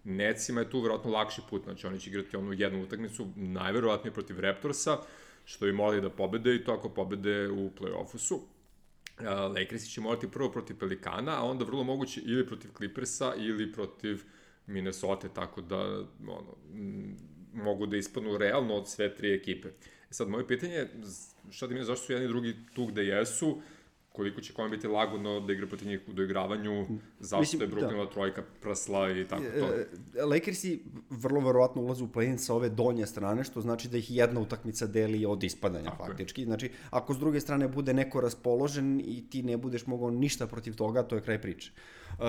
Netsima je tu verovatno lakši put, znači oni će igrati onu jednu utakmicu, najverovatnije protiv Raptorsa, što bi morali da pobede i to ako pobede u play-offu su. Uh, Lakersi će morati prvo protiv Pelikana, a onda vrlo moguće ili protiv Clippersa ili protiv Minnesota, tako da ono, m, mogu da ispadnu realno od sve tri ekipe. E sad, moje pitanje je, šta da mi je, zašto su jedni i drugi tu gde jesu, koliko će kome biti lagodno da igra protiv njih u doigravanju, zašto Mislim, je Brooklynova da. trojka prasla i tako to. Lakersi vrlo verovatno ulaze u play-in sa ove donje strane, što znači da ih jedna utakmica deli od ispadanja tako faktički. Je. Znači, ako s druge strane bude neko raspoložen i ti ne budeš mogao ništa protiv toga, to je kraj priče.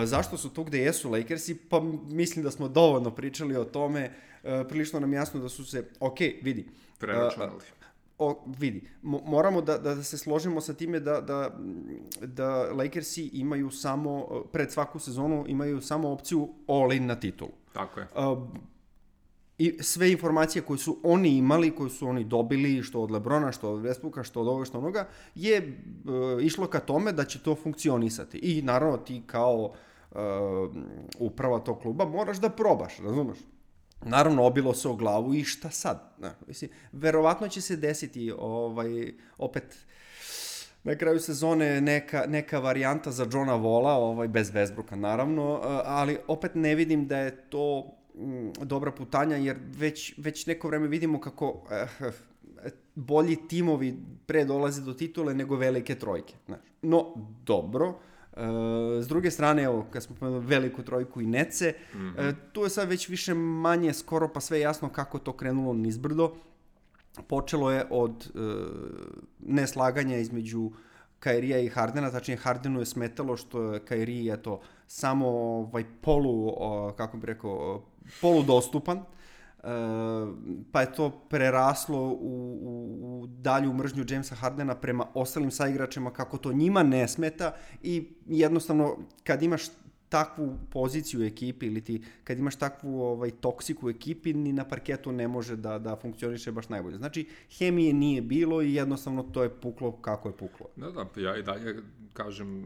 Zašto su tu gde jesu Lakersi? Pa mislim da smo dovoljno pričali o tome. Prilično nam jasno da su se, ok, vidi. Preračunali. O, vidi, moramo da, da se složimo sa time da, da, da Lakersi imaju samo, pred svaku sezonu imaju samo opciju all-in na titulu. Tako je. Uh, i sve informacije koje su oni imali, koje su oni dobili, što od LeBrona, što od Westbrooka, što od ovoga, što onoga, je e, išlo ka tome da će to funkcionisati. I naravno ti kao e, uprava tog kluba moraš da probaš, razumeš? Naravno, obilo se o glavu i šta sad? Ne, mislim, verovatno će se desiti ovaj, opet na kraju sezone neka, neka varijanta za Johna Walla, ovaj, bez Westbrooka naravno, ali opet ne vidim da je to m, dobra putanja, jer već, već neko vreme vidimo kako eh, bolji timovi pre dolaze do titule nego velike trojke. Znaš. No, dobro. Uh, s druge strane, evo, kad smo pomenuli veliku trojku i Nece, mm-hmm. uh, tu je sad već više manje skoro pa sve jasno kako to krenulo nizbrdo. Počelo je od uh, neslaganja između Kairija i Hardena, tačnije Hardenu je smetalo što je Kairi eto, samo ovaj, polu, uh, kako bih rekao, poludostupan. Uh, pa je to preraslo u, u, u dalju mržnju Jamesa Hardena prema ostalim saigračima kako to njima ne smeta i jednostavno kad imaš takvu poziciju u ekipi ili ti kad imaš takvu ovaj, toksiku u ekipi ni na parketu ne može da, da funkcioniše baš najbolje. Znači hemije nije bilo i jednostavno to je puklo kako je puklo. Da, da, ja i dalje kažem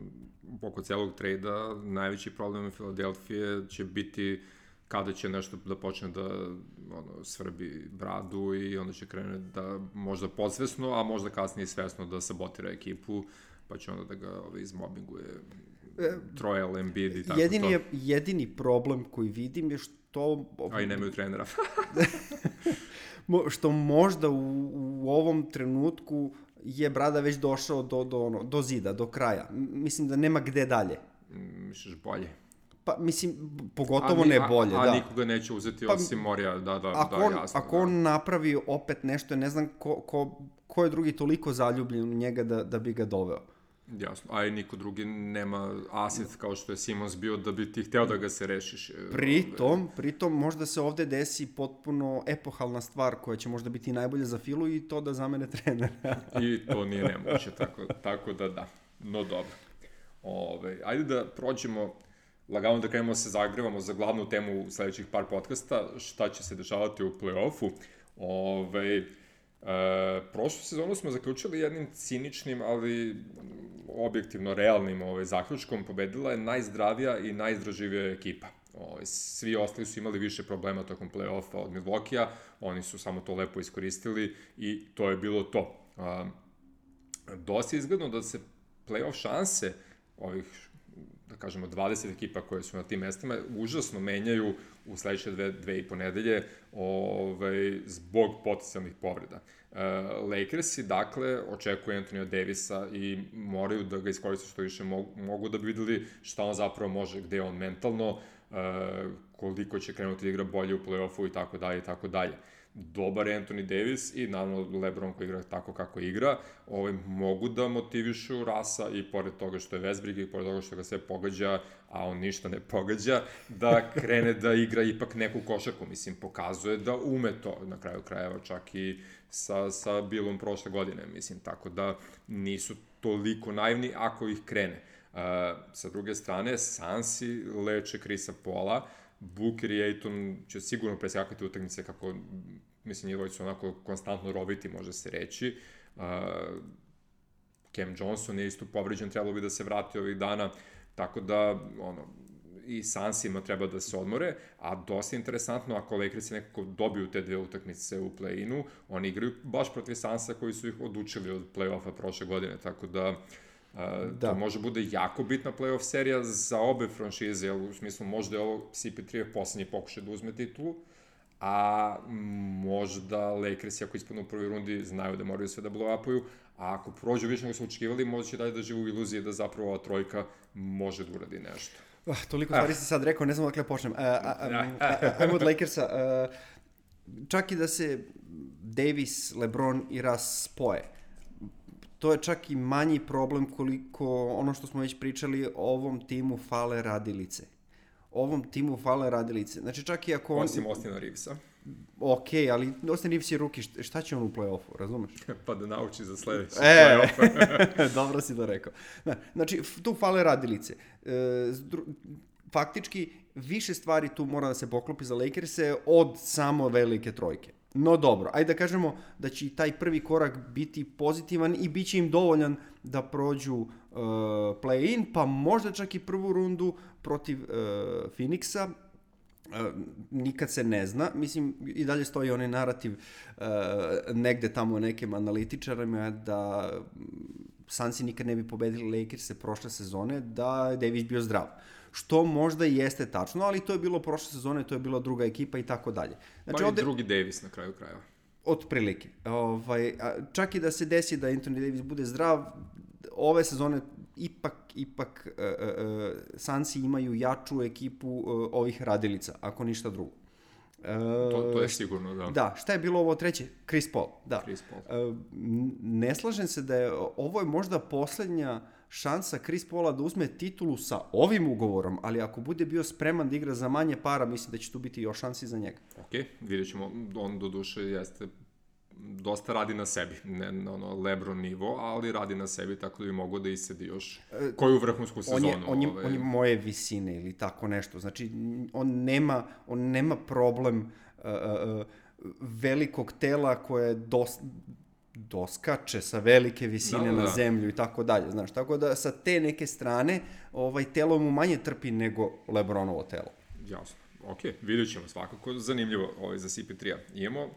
oko celog trejda najveći problem Filadelfije će biti kada će nešto da počne da ono, svrbi bradu i onda će krene da možda podsvesno, a možda kasnije svesno da sabotira ekipu, pa će onda da ga ovaj, izmobinguje Troel, Embiid i tako jedini to. Je, jedini problem koji vidim je što... A i nemaju trenera. što možda u, u ovom trenutku je Brada već došao do, do, ono, do zida, do kraja. Mislim da nema gde dalje. Misliš bolje? Pa, mislim, pogotovo a, ne bolje, a, a, da. A nikoga neće uzeti pa, osim Morija, da, da, ako da, on, jasno. Ako da. on napravi opet nešto, ne znam ko, ko, ko je drugi toliko zaljubljen u njega da, da bi ga doveo. Jasno, a i niko drugi nema aset kao što je Simons bio da bi ti hteo da ga se rešiš. Pritom, pritom možda se ovde desi potpuno epohalna stvar koja će možda biti najbolje za Filu i to da zamene trenera. I to nije nemoguće, tako, tako da da. No dobro. Ove, ajde da prođemo lagano da krenemo se zagrevamo za glavnu temu sledećih par podcasta, šta će se dešavati u play-offu. Ove, e, prošlu sezonu smo zaključili jednim ciničnim, ali objektivno realnim ove, zaključkom. Pobedila je najzdravija i najizdraživija ekipa. Ove, svi ostali su imali više problema tokom play-offa od Milwaukee-a, oni su samo to lepo iskoristili i to je bilo to. A, dosta je izgledno da se play-off šanse ovih da kažemo, dvadeset ekipa koje su na tim mestima, užasno menjaju u sledeće dve, dve i po nedelje ovaj, zbog potencijalnih povreda. Uh, Lakersi, dakle, očekuju Anthony Davisa i moraju da ga iskoriste što više mogu, mogu da bi videli šta on zapravo može, gde je on mentalno, uh, koliko će krenuti da igra bolje u play-offu i tako dalje i tako dalje. Dobar Anthony Davis i naravno LeBron koji igra tako kako igra, ovaj, mogu da motivišu Rasa i pored toga što je Westbrook i pored toga što ga sve pogađa, a on ništa ne pogađa, da krene da igra ipak neku košarku. Mislim, pokazuje da ume to na kraju krajeva čak i sa, sa Billom prošle godine. Mislim, tako da nisu toliko naivni ako ih krene. Uh, sa druge strane, Sansi leče Chrisa Paula, Booker i Ayton će sigurno preskakati utakmice kako, mislim, njihovi su onako konstantno robiti, može se reći. Uh, Cam Johnson je isto povređen, trebalo bi da se vrati ovih dana, tako da, ono, i Sansima treba da se odmore, a dosta interesantno, ako Lakersi nekako dobiju te dve utakmice u play-inu, oni igraju baš protiv Sansa koji su ih odučili od play-offa prošle godine, tako da Uh, da. To može bude jako bitna play-off serija za obe franšize, jer u smislu možda je ovo C P tri poslednji pokušaj da uzme titulu, a možda Lakersi ako ispadnu u prvoj rundi znaju da moraju sve da blow-upuju, a ako prođu više nego su očekivali, možda će dalje da živu u iluziji da zapravo ova trojka može da uradi nešto. Uh, toliko stvari si sad rekao, ne znam dakle počnem. Uh, uh, ajmo od Lakersa. Uh, čak i da se Davis, LeBron i Russ spoje, to je čak i manji problem koliko ono što smo već pričali, ovom timu fale radilice. Ovom timu fale radilice. Znači čak i ako on... Osim Austina Reevesa. Ok, ali Austin Reeves je ruki, šta će on u play-offu, razumeš? Pa da nauči za sledeći e, play-off. Dobro si to rekao. Znači, tu fale radilice. faktički više stvari tu mora da se poklopi za Lakers-e od samo velike trojke. No dobro, ajde da kažemo da će i taj prvi korak biti pozitivan i bit će im dovoljan da prođu uh, play-in, pa možda čak i prvu rundu protiv uh, Phoenixa. Uh, nikad se ne zna, mislim i dalje stoji onaj narativ uh, negde tamo nekim analitičarima da Sunsi nikad ne bi pobedili Lakers-e prošle sezone da je Davis bio zdrav. Što možda i jeste tačno, ali to je bilo prošle sezone, to je bila druga ekipa i tako dalje. Znači, pa i ovde, drugi Davis na kraju krajeva. Otprilike. Ovaj, čak i da se desi da Anthony Davis bude zdrav, ove sezone ipak, ipak uh, uh, Sunsi imaju jaču ekipu uh, ovih radilica, ako ništa drugo. Uh, to, to je sigurno, da. Da, šta je bilo ovo treće? Chris Paul, da. Chris Paul. Uh, ne slažem se da je, ovo je možda poslednja šansa Chris Paula da uzme titulu sa ovim ugovorom, ali ako bude bio spreman da igra za manje para, mislim da će tu biti još šansi za njega. Ok, vidjet ćemo, on do duše jeste, dosta radi na sebi, ne na ono LeBron nivo, ali radi na sebi, tako da bi mogo da isedi još koju vrhunsku sezonu. On je, on je, ovaj... on je moje visine ili tako nešto, znači on nema, on nema problem uh, uh, velikog tela koje je dosta doskače sa velike visine da, da, da. na zemlju i tako dalje, znaš, tako da sa te neke strane ovaj telo mu manje trpi nego LeBronovo telo. Jasno, ok, vidjet ćemo svakako, zanimljivo ovaj za C P tri-a. Imamo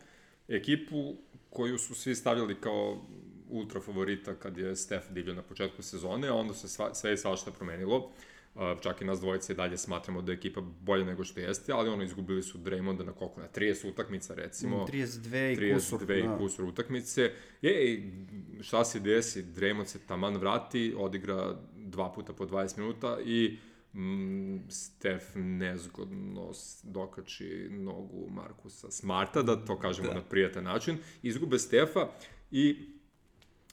ekipu koju su svi stavljali kao ultra favorita kad je Steph divljao na početku sezone, a onda se sva, sve i svašta promenilo. Uh, čak i nas dvojice i dalje smatramo da je ekipa bolja nego što jeste, ali ono, izgubili su Draymonda na koliko, na trideset utakmica recimo. trideset dve i kusur. trideset dve i kusur utakmice. Ej, šta se desi? Draymond se taman vrati, odigra dva puta po dvadeset minuta i mm, Steph nezgodno dokači nogu Markusa Smarta, da to kažemo da. na prijatan način. Izgube Stefa i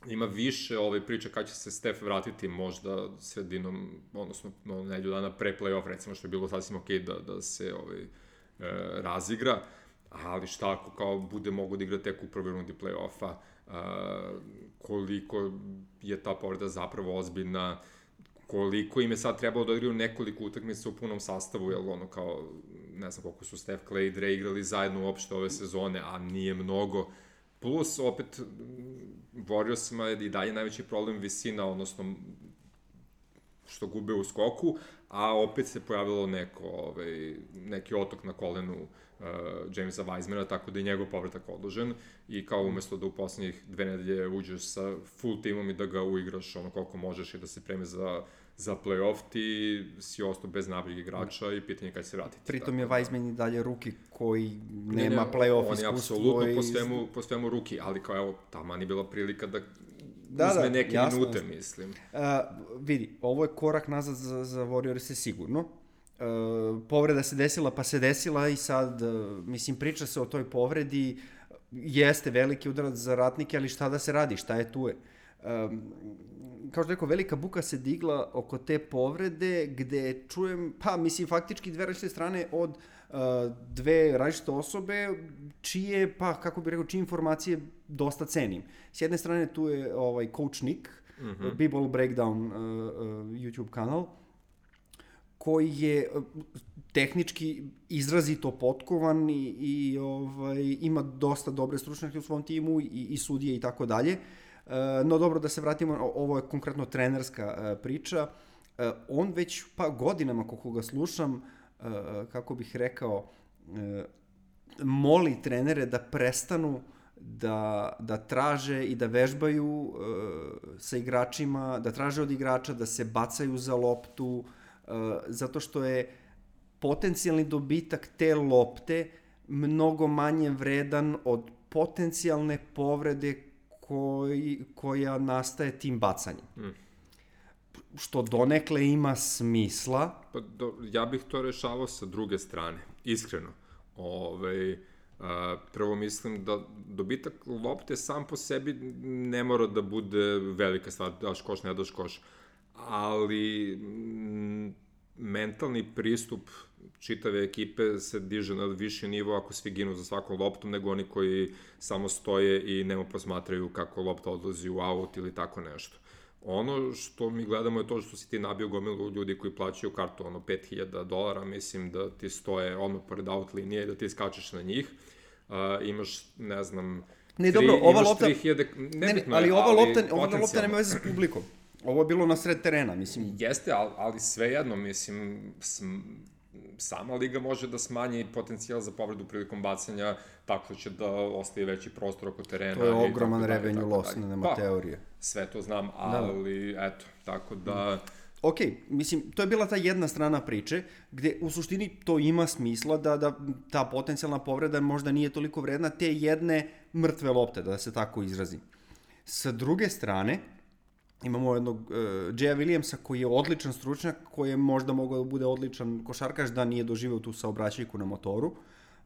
ima više ove priče kada će se Steph vratiti možda sredinom, odnosno no, nedelju dana pre play-off, recimo, što je bilo sasvim okej da, da se ovaj, e, razigra, ali šta ako kao bude mogo da igra tek u prvoj rundi play-offa, e, koliko je ta povreda zapravo ozbiljna, koliko im je sad trebalo da igraju nekoliko utakmica u punom sastavu, jer ono kao, ne znam koliko su Steph, Clay i Dre igrali zajedno uopšte ove sezone, a nije mnogo. Plus, opet, Warriorsima je i dalje najveći problem visina, odnosno što gube u skoku, a opet se pojavilo neko, ovaj, neki otok na kolenu uh, Jamesa Wisemana, tako da je njegov povratak odložen i kao umesto da u poslednjih dve nedelje uđeš sa full timom i da ga uigraš ono koliko možeš i da se preme za, za play-off, ti si ostao bez nabrijeg igrača i pitanje kada se vratiti. Pritom je Wiseman i dalje ruki koji nema ne, ne, play-off iskustvo. On je apsolutno i... po, svemu, po svemu ruki, ali kao evo, taman je bila prilika da da, uzme da, neke jasno, minute, jasno. mislim. Uh, vidi, ovo je korak nazad za, za Warriors sigurno. Uh, povreda se desila, pa se desila i sad, uh, mislim, priča se o toj povredi, jeste veliki udarac za ratnike, ali šta da se radi, šta je tu je. Um, kao što rekao, velika buka se digla oko te povrede, gde čujem, pa mislim, faktički dve različite strane od uh, dve različite osobe, čije, pa kako bih rekao, čije informacije dosta cenim. S jedne strane tu je ovaj Coach Nick, mm-hmm. B-Ball Breakdown uh, uh, YouTube kanal, koji je uh, tehnički izrazito potkovan i, i ovaj, ima dosta dobre stručnjake u svom timu i, i sudije i tako dalje. No dobro, da se vratimo, ovo je konkretno trenerska priča. On već pa godinama, kako ga slušam, kako bih rekao, moli trenere da prestanu da, da traže i da vežbaju sa igračima, da traže od igrača da se bacaju za loptu, zato što je potencijalni dobitak te lopte mnogo manje vredan od potencijalne povrede Koji, koja nastaje tim bacanjem. Mm. Što donekle ima smisla. Pa do, ja bih to rešavao sa druge strane, iskreno. Ove, a, prvo mislim da dobitak lopte sam po sebi ne mora da bude velika stvar, daš koš, ne daš koš. Ali m, mentalni pristup čitave ekipe se diže na viši nivo ako svi ginu za svakom loptom, nego oni koji samo stoje i nemo posmatraju kako lopta odlazi u aut ili tako nešto. Ono što mi gledamo je to što si ti nabio gomilu ljudi koji plaćaju kartu, ono, pet hiljada dolara, mislim da ti stoje odmah pored out linije, da ti skačeš na njih, uh, imaš, ne znam, ne, tri, dobro, ova imaš lopta, tri hiljade, nebitno ali je, ova ali lopta, ova lopta nema veze s publikom. Ovo je bilo na sred terena, mislim. Jeste, ali, ali svejedno, mislim, sm, sama liga može da smanji potencijal za povredu prilikom bacanja tako što će da ostaje veći prostor oko terena. To je ogroman revenue loss, nema pa, teorije. Sve to znam, ali da. Eto, tako da... Ok, mislim, to je bila ta jedna strana priče, gde u suštini to ima smisla da, da ta potencijalna povreda možda nije toliko vredna te jedne mrtve lopte, da se tako izrazim. Sa druge strane, imamo jednog uh, Jaya Williamsa koji je odličan stručnjak, koji je možda mogao da bude odličan košarkaš da nije doživeo tu saobraćajku na motoru.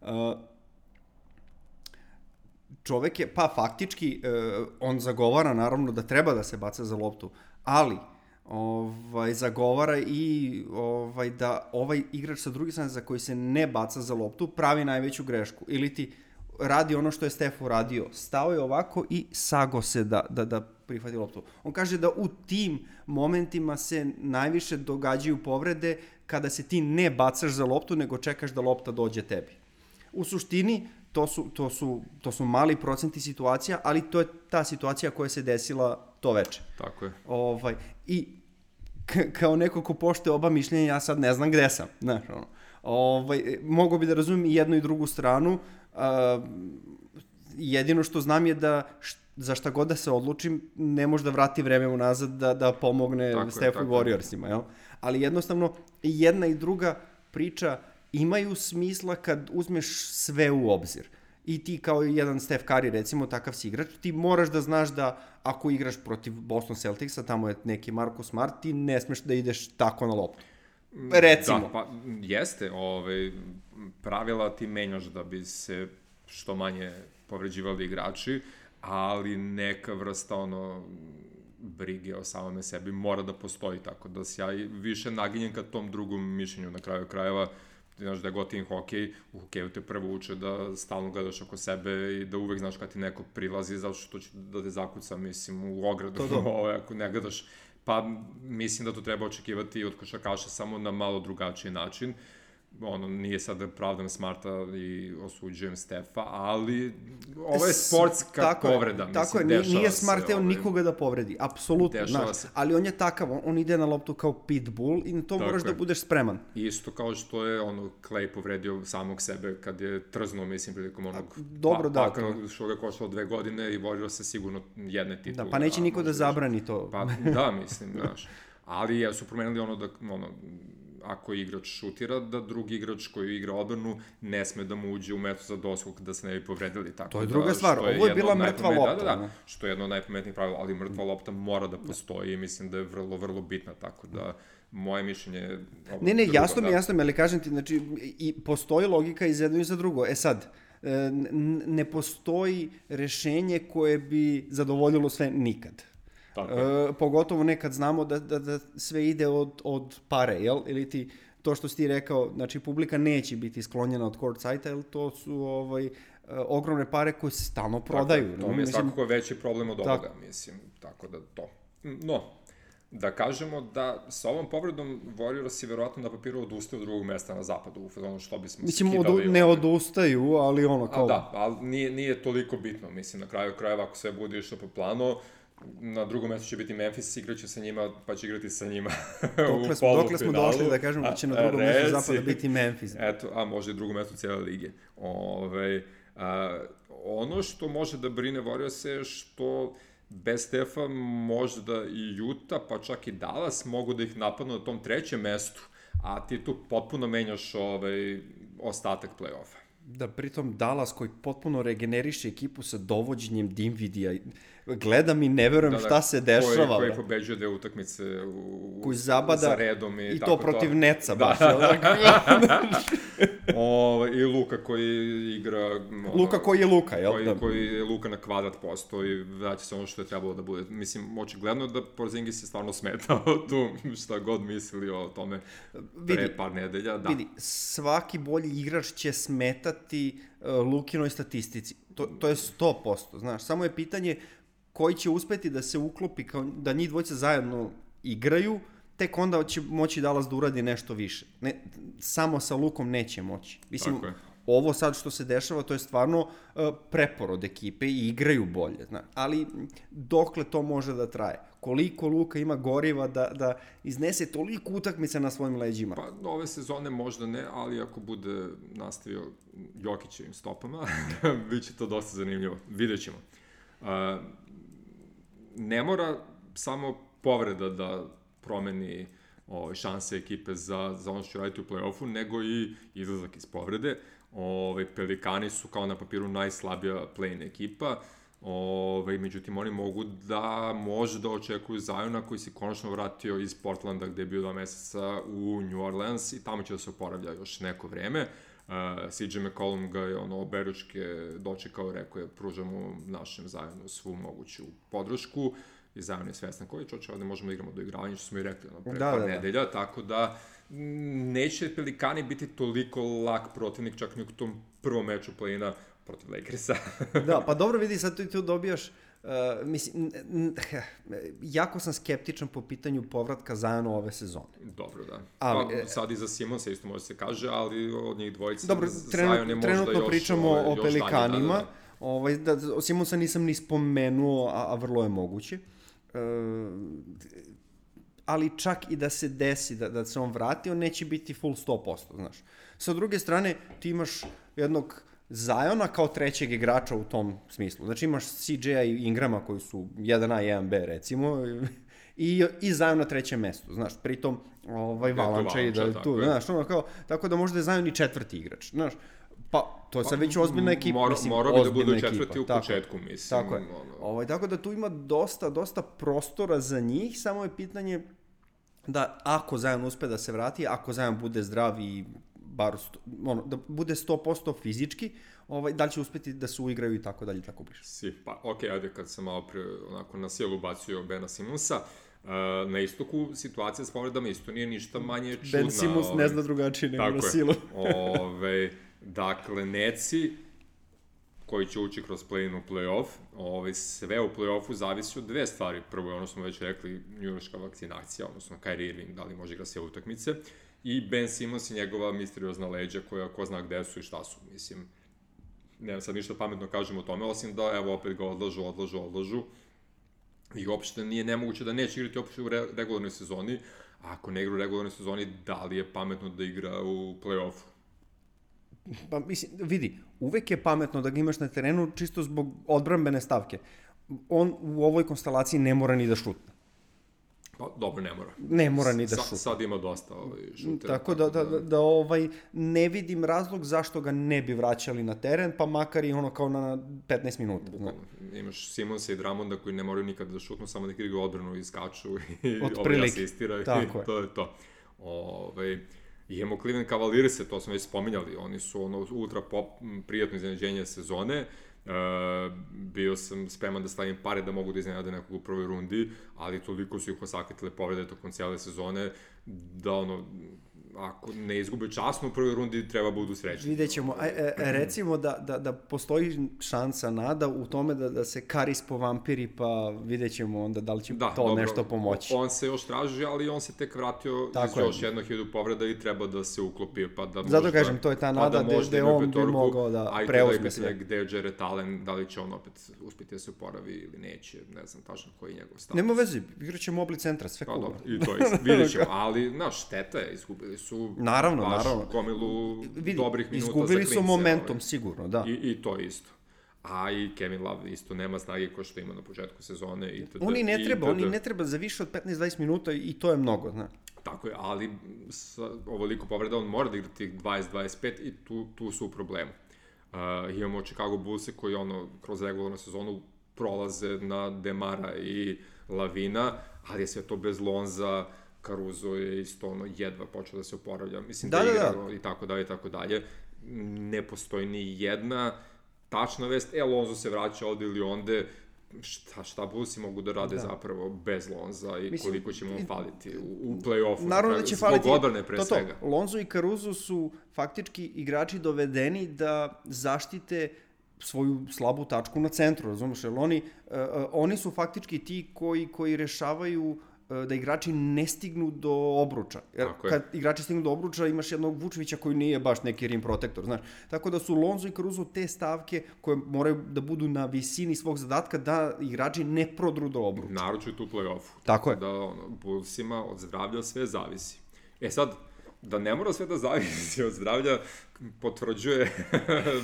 Uh, čovek je, pa faktički, uh, on zagovara naravno da treba da se baca za loptu, ali ovaj, zagovara i ovaj, da ovaj igrač sa druge strane za koji se ne baca za loptu pravi najveću grešku. Ili ti radi ono što je Steph uradio. Stao je ovako i sago se da, da, da prihvati loptu. On kaže da u tim momentima se najviše događaju povrede kada se ti ne bacaš za loptu, nego čekaš da lopta dođe tebi. U suštini, to su, to su, to su mali procenti situacija, ali to je ta situacija koja se desila to veče. Tako je. Ovaj, I k- kao neko ko poštuje oba mišljenja, ja sad ne znam gde sam. Znaš, ono. Ovaj, mogu bi da razumijem i jednu i drugu stranu. Uh, jedino što znam je da št, za šta god da se odlučim, ne može da vrati vreme unazad da, da pomogne Stephu i Warriorsima. Jel? Ali jednostavno, i jedna i druga priča imaju smisla kad uzmeš sve u obzir. I ti kao jedan Steph Curry, recimo, takav si igrač, ti moraš da znaš da ako igraš protiv Boston Celticsa, tamo je neki Marcus Smart, ti ne smeš da ideš tako na loptu. Recimo. Da, pa jeste, ovaj, pravila ti menjaš da bi se što manje povređivali igrači, ali neka vrsta ono brige o samome sebi mora da postoji, tako da se ja više naginjem ka tom drugom mišljenju na kraju krajeva. Ti znaš da je gotivim hokej, u hokeju te prvo uče da stalno gledaš oko sebe i da uvek znaš kad ti neko prilazi, zato što će da te zakuca, mislim, u ogradu, ovo, ako ne gledaš. Pa mislim da to treba očekivati od košarkaša samo na malo drugačiji način. Ono, nije sad da pravdam Smarta i osuđujem Stefa, ali ovo je sportska tako povreda. Je, tako mislim, je, nije Smart teo ovaj, nikoga da povredi, apsolutno, znaš, ali on je takav, on, on ide na loptu kao pitbull i na to tako moraš je. Da budeš spreman. Isto kao što je ono Clay povredio samog sebe kad je trznuo, mislim, prilikom onog dobro, pa, da, pa, što ga koštalo dve godine i vodio se sigurno jedne titule. Da, pa neće niko da zabrani to. Pa da, mislim, znaš, ali ja su promenili ono da, ono, ako igrač šutira, da drugi igrač koji igra odbranu ne sme da mu uđe u metu za doskok da se ne bi povredili. Tako to je druga da, stvar, ovo je bila mrtva lopta. Da, da, da, što je jedno od najpametnijih pravila, ali mrtva lopta mora da postoji i mislim da je vrlo, vrlo bitna, tako da moje mišljenje... Ne, ne, drugo, jasno mi, da. jasno mi, ali kažem ti, znači, i postoji logika iz jedno i za drugo. E sad, ne postoji rešenje koje bi zadovoljilo sve nikad. E, pogotovo nekad znamo da, da, da sve ide od, od pare, jel? Ili ti, to što si ti rekao, znači publika neće biti sklonjena od court site-a, jer to su ovaj, ogromne pare koje se stalno prodaju. Tako, to mi je svakako veći problem od ovoga, mislim, tako da to. No, da kažemo da sa ovom povredom Warriors verovatno na papiru odustaju od drugog mesta na zapadu, u ono što bismo mislim, se kidali. Mislim, ne odustaju, ali ono kao... A da, ali nije, nije toliko bitno, mislim, na kraju krajeva, ako sve bude išlo po planu, na drugom mjestu će biti Memphis, igraće sa njima, pa će igrati sa njima dokle smo, dokle smo došli da kažemo da će na drugom mjestu zapada biti Memphis. Eto, a može i drugo mjesto cijele lige. Ove, a, ono što može da brine Warriors je što bez Stefa možda i Utah, pa čak i Dallas mogu da ih napadnu na tom trećem mestu, a ti tu potpuno menjaš ovaj, ostatak play-offa. Da, pritom Dallas koji potpuno regeneriše ekipu sa dovođenjem Dinvidija, gledam i ne verujem da, da, šta se dešava. Koji, koji pobeđuje dve utakmice u, koji zabada, za redom. I, i tako to protiv to. Neca da. baš. o, I Luka koji igra... Ono, Luka koji je Luka, jel? Koji, da. koji je Luka na kvadrat posto i vraća se ono što je trebalo da bude. Mislim, očigledno da Porzingis je stvarno smetao tu, šta god mislili o tome pre vidi, par nedelja. Da. Vidi, svaki bolji igrač će smetati uh, Lukinoj statistici. To, to je sto posto, znaš. Samo je pitanje koji će uspeti da se uklopi, kao da njih dvojica zajedno igraju, tek onda će moći Dallas da uradi nešto više. Ne, samo sa Lukom neće moći. Mislim, ovo sad što se dešava, to je stvarno uh, preporod ekipe i igraju bolje. Zna. Ali dokle to može da traje? Koliko Luka ima goriva da, da iznese toliko utakmica na svojim leđima? Pa ove sezone možda ne, ali ako bude nastavio Jokićevim stopama, bit će to dosta zanimljivo. Vidjet ćemo. Uh, ne mora samo povreda da promeni o, šanse ekipe za, za ono što će raditi u play-offu, nego i izlazak iz povrede. Ove, Pelikani su kao na papiru najslabija play-in ekipa, ove, međutim oni mogu da može da očekuju Ziona koji se konačno vratio iz Portlanda gde je bio dva meseca u New Orleans i tamo će da se oporavlja još neko vreme. Uh, C J McCollum ga je ono oberučke dočekao, rekao je pružamo našem Zionu svu moguću podršku i Zion je svestan koji čoče, ovde možemo da igramo do igravanja, što smo i rekli ono, pre da, par da, nedelja, da. Tako da neće Pelikani biti toliko lak protivnik, čak ni u tom prvom meču play-ina protiv Lakersa. Da, pa dobro vidi, sad tu, tu dobijaš, uh, mislim, jako sam skeptičan po pitanju povratka Ziona ove sezone. Dobro, da. Ali, pa, sad i za Simonsa isto može se kaže, ali od njih dvojica dobro, Zion je možda trenutno još, pričamo ovaj, o još Pelikanima, dalje, da, da. Ovaj, da, o Simonsa nisam ni spomenuo, a, a vrlo je moguće. Uh, ali čak i da se desi da, da se on vrati, on neće biti full sto posto, znaš. Sa druge strane, ti imaš jednog Ziona kao trećeg igrača u tom smislu. Znači imaš C J-a i Ingrama koji su jedan A, jedan B recimo, i, i Zion na trećem mestu, znaš, pritom ovaj, Valanča i da tu, znaš, ono kao, tako da možda je Zion i četvrti igrač, znaš. Pa, to je sad već ozbiljna ekipa, mora, mislim, mora ozbiljna bi da budu ekipa. četvrti u tako, početku, mislim. Tako je. Ono... Ovaj, tako da tu ima dosta, dosta prostora za njih, samo je pitanje da ako Zion uspe da se vrati, ako Zion bude zdrav i bar, sto, ono, da bude sto posto fizički, ovaj, da li će uspeti da se uigraju i tako dalje, tako bliže. Si, pa okej, okay, ajde kad sam malo pre, onako na sjelu bacio Bena Simonsa, Uh, na istoku situacija s povredama isto nije ništa manje čudna. Ben Simmons ove, ne zna drugačije nego na silu. Ove, dakle, Netsi, koji će ući kroz play-in u play-off, ove, sve u play-offu zavisi od dve stvari. Prvo je ono smo već rekli, njujorška vakcinacija, odnosno Kyrie Irving, da li može igra sve utakmice, i Ben Simmons i njegova misteriozna leđa koja ko zna gde su i šta su. Mislim, nemam sad ništa pametno kažem o tome, osim da evo opet ga odlažu, odlažu, odlažu. I uopšte nije nemoguće da neće igrati uopšte u re regularnoj sezoni, a ako ne igra u regularnoj sezoni, da li je pametno da igra u play-offu? Pa mislim, vidi, uvek je pametno da ga imaš na terenu čisto zbog odbrambene stavke. On u ovoj konstelaciji ne mora ni da šutne. Pa dobro, ne mora. Ne mora ni da Sa, šutne. Sad ima dosta ovaj, šutera. Tako da, da, da, da ovaj, ne vidim razlog zašto ga ne bi vraćali na teren, pa makar i ono kao na petnaest minuta. Bukvalno. Imaš Simonsa i Drummonda koji ne moraju nikada da šutnu, samo da igraju odbranu i skaču i ovaj asistiraju. I to je to. Ove, imamo Cleveland Cavalierse, to smo već spominjali, oni su ono ultra pop, prijatno iznenađenje sezone. Uh, bio sam spreman da stavim pare da mogu da iznenade nekog u prvoj rundi, ali toliko su ih osakitile povrede tokom cijele sezone da ono, ako ne izgube časno u prvoj rundi, treba budu srećni. Vidjet ćemo. A, e, recimo da, da, da postoji šansa, nada u tome da, da se Karis povampiri, pa vidjet ćemo onda da li će da, to dobro, nešto pomoći. On se još traži, ali on se tek vratio tako iz je. još jednog hiljadu povreda i treba da se uklopi. Pa da Zato možda, kažem, to je ta nada pa da gde on bi mogao da preuzme sve. Gde je Jared Allen, da li će on opet uspjeti da se oporavi ili neće, ne znam tačno koji je njegov stav. Nema veze, igraće Mobli centra, sve pa, cool. Dobro, i to je, vidjet ćemo, ali, znaš, šteta je, izgubili su naravno, baš naravno. gomilu Vidi, dobrih minuta za klince. Izgubili su momentum, ovaj. sigurno, da. I, I to isto. A i Kevin Love isto nema snage ko što ima na početku sezone. Itd. Oni ne treba, oni ne treba za više od petnaest dvadeset minuta i to je mnogo, znaš. Tako je, ali sa ovoliko povreda on mora da igra tih dvadeset dvadeset pet i tu, tu su u problemu. Uh, imamo Chicago Bullse koji ono, kroz regularnu sezonu prolaze na Demara i Lavina, ali je sve to bez Lonza, Caruso je isto ono jedva počeo da se oporavlja, mislim da, da igra da, da. i tako dalje i tako dalje. Ne postoji ni jedna tačna vest, e, Lonzo se vraća ovde ili onde, šta, šta Bullsi mogu da rade da. zapravo bez Lonza i mislim, koliko će mu faliti u, u play-offu. Naravno da će faliti, zbog odbrane pre to, to, svega. Lonzo i Caruso su faktički igrači dovedeni da zaštite svoju slabu tačku na centru, razumiješ, jer oni, uh, oni su faktički ti koji, koji rešavaju da igrači ne stignu do obruča. Jer kad igrači stignu do obruča imaš jednog Vučevića koji nije baš neki rim protektor, znaš. Tako da su Lonzo i Caruso te stavke koje moraju da budu na visini svog zadatka da igrači ne prodru do obruča. Naročito u play-offu. Tako je. Da ono, Bullsima od zdravlja sve zavisi. E sad, da ne mora sve da zavisi od zdravlja, potvrđuje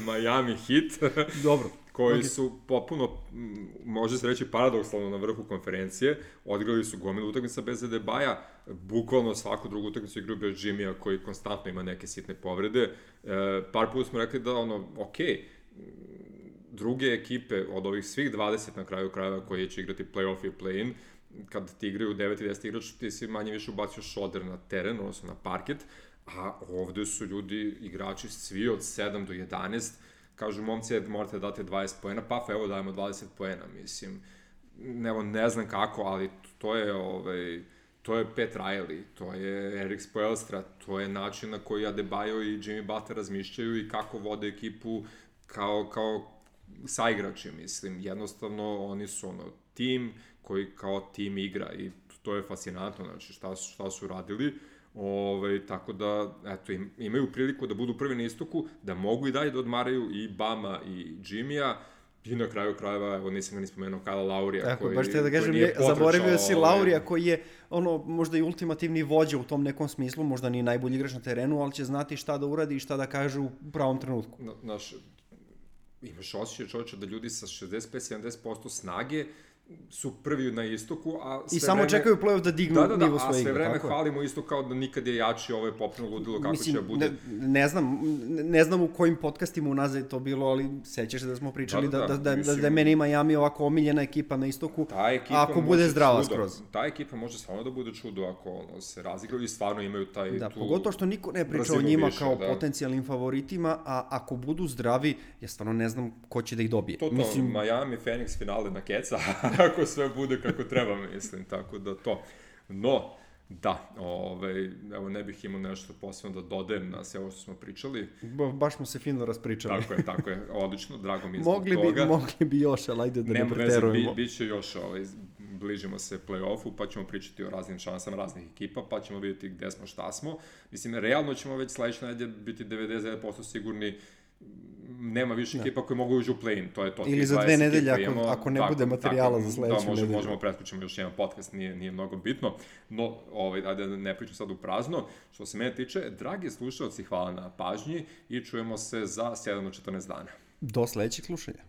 Miami Heat. Dobro. koji okay. su popuno, može se reći, paradoksalno na vrhu konferencije. Odigrali su gomilu utakmica bez Adebaja, bukvalno svaku drugu utakmicu igraju bez Jimmya, koji konstantno ima neke sitne povrede. E, par puta smo rekli da, ono, okej, okay, druge ekipe od ovih svih dvadeset na kraju krajeva koji će igrati play-off i play-in, kad ti igraju devet i deset igrač, ti si manje više ubacio šoder na teren, odnosno na parket, a ovde su ljudi, igrači svi od sedam do jedanaest, kažu, momci, morate da date dvadeset poena, pa evo dajemo dvadeset poena, mislim, evo, ne znam kako, ali to je, ovaj, to je Pat Riley, to je Erik Spoelstra, to je način na koji Adebayo i Jimmy Butler razmišljaju i kako vode ekipu kao, kao saigrači, mislim, jednostavno oni su ono tim koji kao tim igra i to je fascinantno, znači šta su, šta su radili. Ove, tako da, eto, im, imaju priliku da budu prvi na istoku, da mogu i dalje da odmaraju i Bama i Jimmya, i na kraju krajeva, evo nisam ga ni spomenuo, Kyle Laurija, tako, koji, baš te da kažem, je, zaboravio si Laurija koji je ono, možda i ultimativni vođa u tom nekom smislu, možda nije najbolji igrač na terenu, ali će znati šta da uradi i šta da kaže u pravom trenutku. Na, naš, imaš osjećaj, čovječe, da ljudi sa šezdeset pet do sedamdeset posto snage su prvi na istoku, a sve I samo vreme... čekaju play-off da dignu da, da, da, nivo svoje igre. A sve vreme hvalimo isto kao da nikad je jači, ovo je popno ludilo, kako Mislim, će da bude. Ne, ne znam, ne znam u kojim podcastima unazad je to bilo, ali sećaš se da smo pričali da, da, da, da, mislim, da, da je meni Miami ovako omiljena ekipa na istoku, ako bude zdrava čudo, skroz. Ta ekipa može stvarno da bude čudo ako ono, se razigraju i stvarno imaju taj da, tu... Pogotovo što niko ne priča o njima više, kao da. potencijalnim favoritima, a ako budu zdravi, ja stvarno ne znam ko će da ih dobije. To to, mislim... Miami, Phoenix finale na keca, ako sve bude kako treba, mislim, tako da to. No, da, ovaj, evo ne bih imao nešto posebno da dodajem na sve ovo što smo pričali. Ba, baš smo se fino raspričali. Tako je, tako je, odlično, drago mi je zbog mogli toga. Bi, mogli bi još, ali ajde da Nema ne preterujemo. Bi, biće još, ovaj, bližimo se play-offu, pa ćemo pričati o raznim šansama raznih ekipa, pa ćemo vidjeti gde smo, šta smo. Mislim, realno ćemo već sledeće nedelje biti devedeset devet posto sigurni, nema više ekipa da. Koji mogu uđu u play-in, to je to. Ili za dve nedelje, ako, imamo, ako ne tako, bude materijala tako, za sledeću da, možemo, nedelju. Možemo preskućemo još jedan podcast, nije, nije mnogo bitno, no, ovaj, ajde ne pričam sad u prazno. Što se mene tiče, dragi slušalci, hvala na pažnji i čujemo se za sedam do četrnaest dana. Do sledećeg slušanja.